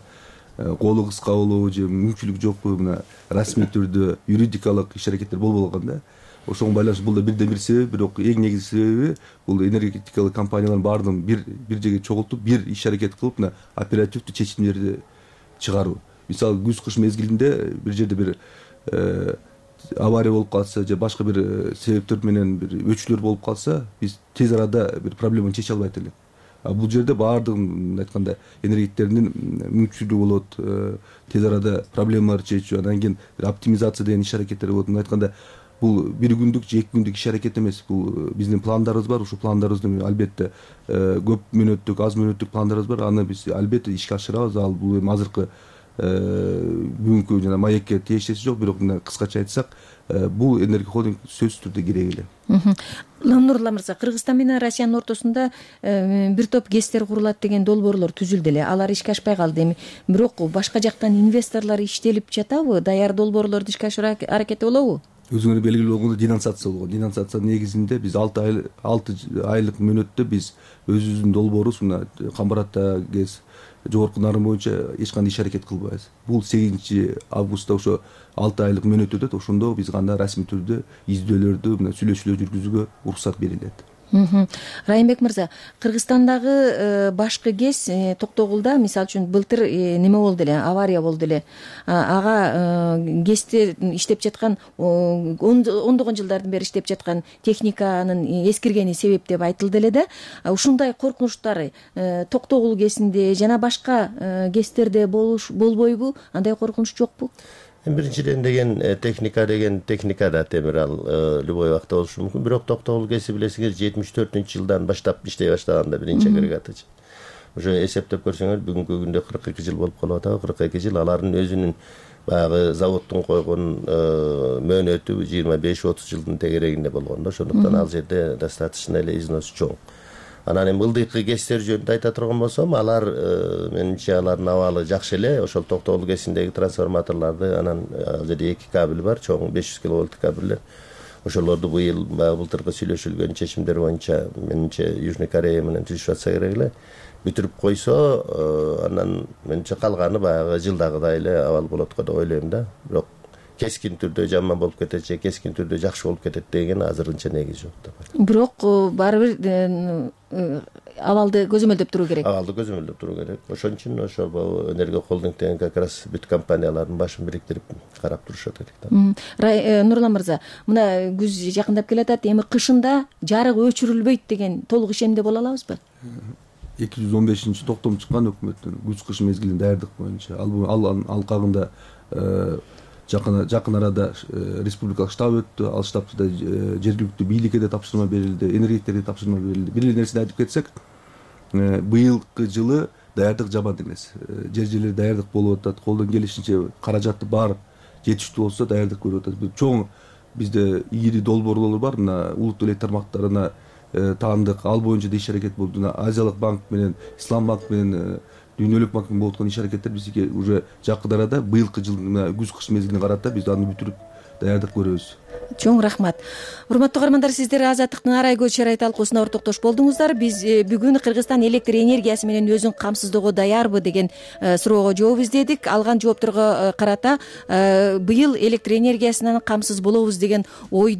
колу кыска болобу же мүмкүнчүлүк жокпу, мына расмий түрдө юридикалык иш аракеттер болбой калган да. Ошого байланыштуу бул да бирден бир себеби, бирок эң негизги себеби бул энергетикалык компаниялардын баардыгын бир жерге чогултуп, бир иш аракет кылып, мына оперативдүү чечимдерди чыгаруу. Мисалы күз-кыш мезгилинде бир жерде бир авария болуп калса же башка бир себептер менен бир өчүүлөр болуп калса, биз тез арада бир проблеманы чече албайт элек. Бул жерде баардыгын айтканда энергетиктердин мүмкүнчүлүгү болот, тез арада проблемаларды чечүү, анан кийин оптимизация деген иш аракеттер болот. Айтканда бул бир күндүк же 2 күндүк иш аракет эмес. Бул биздин пландарыбыз бар. Ушул пландарыбызды албетте көп мөөнөттүк, аз мөөнөттүк пландарыбыз бар. Аны биз албетте ишке ашырабыз. Ал бул эми азыркы бүгүнкү жана маекке тиешеси жок, бирок мына кыскача айтсак, бул энергия холдинг сөзсүз түрдө кереги эле. Нурлан мырза, Кыргызстан менен Россиянын ортосунда бир топ ГЭСтер курулат деген долбоорлор түзүлдү эле. Алар ишке ашпай калды эми. Бирок башка жактан инвесторлор иштелип жатабы? Даяр долбоорлорду ишке ашыруу аракети болобу? Өзүңөр белгилүү болгондой денонсация болгон. Денонсация негизинде биз 6 айлык мөөнөттө биз өзүбүздүн долбоорубуз мына Камбаратта ГЭС жогорку нарын боюнча эч кандай иш аракет кылбайбыз. Бул 8-августта ошо 6 айлык мөөнөт өтөт. Ошондо биз гана расмий түрдө издөөлөрдү, мына сүйлөшүүлөр жүргүзүүгө уруксат берилет. Райымбек мырза, Кыргызстандагы башкы ГЭС Токтогулда мисалы үчүн былтыр неме болду эле, авария болду эле. Ага ГЭСте иштеп жаткан ондогон жылдардан бери иштеп жаткан техниканын эскиргени себеп деп айтылды эле да. Ушундай коркунучтар Токтогул ГЭСинде жана башка ГЭСтерде болбойбу? Андай коркунуч жокпу? Биринчиден деген техника да темир, ал любой убакта болушу мүмкүн. Бирок Токтогул ГЭСи билесиңер 74-жылдан баштап иштей баштаганда биринчи агрегаты. Уже эсептеп көрсөңөр бүгүнкү күндө 42 жыл болуп калып атат. 42 жыл алардын өзүнүн баягы заводдун койгон мөөнөтү 25-30 жылдын тегерегинде болгон да. Ошондуктан ал жерде достаточно эле износ чоң. Анан эми ылдыйкы ГЭСтер жөнүндө айта турган болсом, алар менимче алардын абалы жакшы эле. Ошол Токтогул ГЭСиндеги трансформаторлорду, анан ал жерде 2 кабель бар, чоң 500 киловольттук кабелдер. Ошолорду быйыл былтыркы сүйлөшүлгөн чечимдер боюнча менимче Южный Корея менен түзүшүп атса керек эле. Бүтүрүп койсо, анан менимче калганы баягы жылдагыдай эле абал болот го деп ойлойм да. Бирок кескин түрдө жаман болуп кетет же кескин түрдө жакшы болуп кетет деген азырынча негиз жок деп атат. Бирок баары бир абалды көзөмөлдөп туруу керек. Абалды көзөмөлдөп туруу керек. Ошон үчүн ошол энергия холдинг деген как раз бүт компаниялардын башын бириктирип карап турушат керек да. Нурлан мырза, мына күз жакындап келатат, эми кышында жарык өчүрүлбөйт деген толук ишенимде боло алабызбы? 215 токтом чыккан өкмөттүн күз-кыш мезгилин даярдык боюнча ал алкагында жакын арада республикалык штаб өттү. Ал штабта жергиликтүү бийликке да тапшырма берилди, энергетиктерге тапшырма берилди. Бир эле нерсени айтып кетсек, быйылкы жылы даярдык жаман эмес. Жерлер даярдык болуп атат. Колдон келишинче каражаты бар, жетиштүү болсо даярдык көрүп атат. Чоң бизде ири долбоорлор бар, мына улуттук электр тармактарына таандык, ал боюнча да иш аракет болуп, мына Азиялык банк менен, Ислам банк менен, Дүйнөлүк банк менен болуп аткан иш аракеттер бизге уже жакын арада быйылкы жылдын күз-кыш мезгилине карата биз аны бүтүрүп даярдык көрөбүз. Чоң рахмат. Урматтуу каармандар, сиздер Азаттыктын арай көз чарай талкуусуна ортоктош болдуңуздар. Биз бүгүн Кыргызстан электр энергиясы менен өзүн камсыздоого даярбы деген суроого жооп издедик. Алган жоопторго карата быйыл электр энергиясынан камсыз болобуз деген ойдо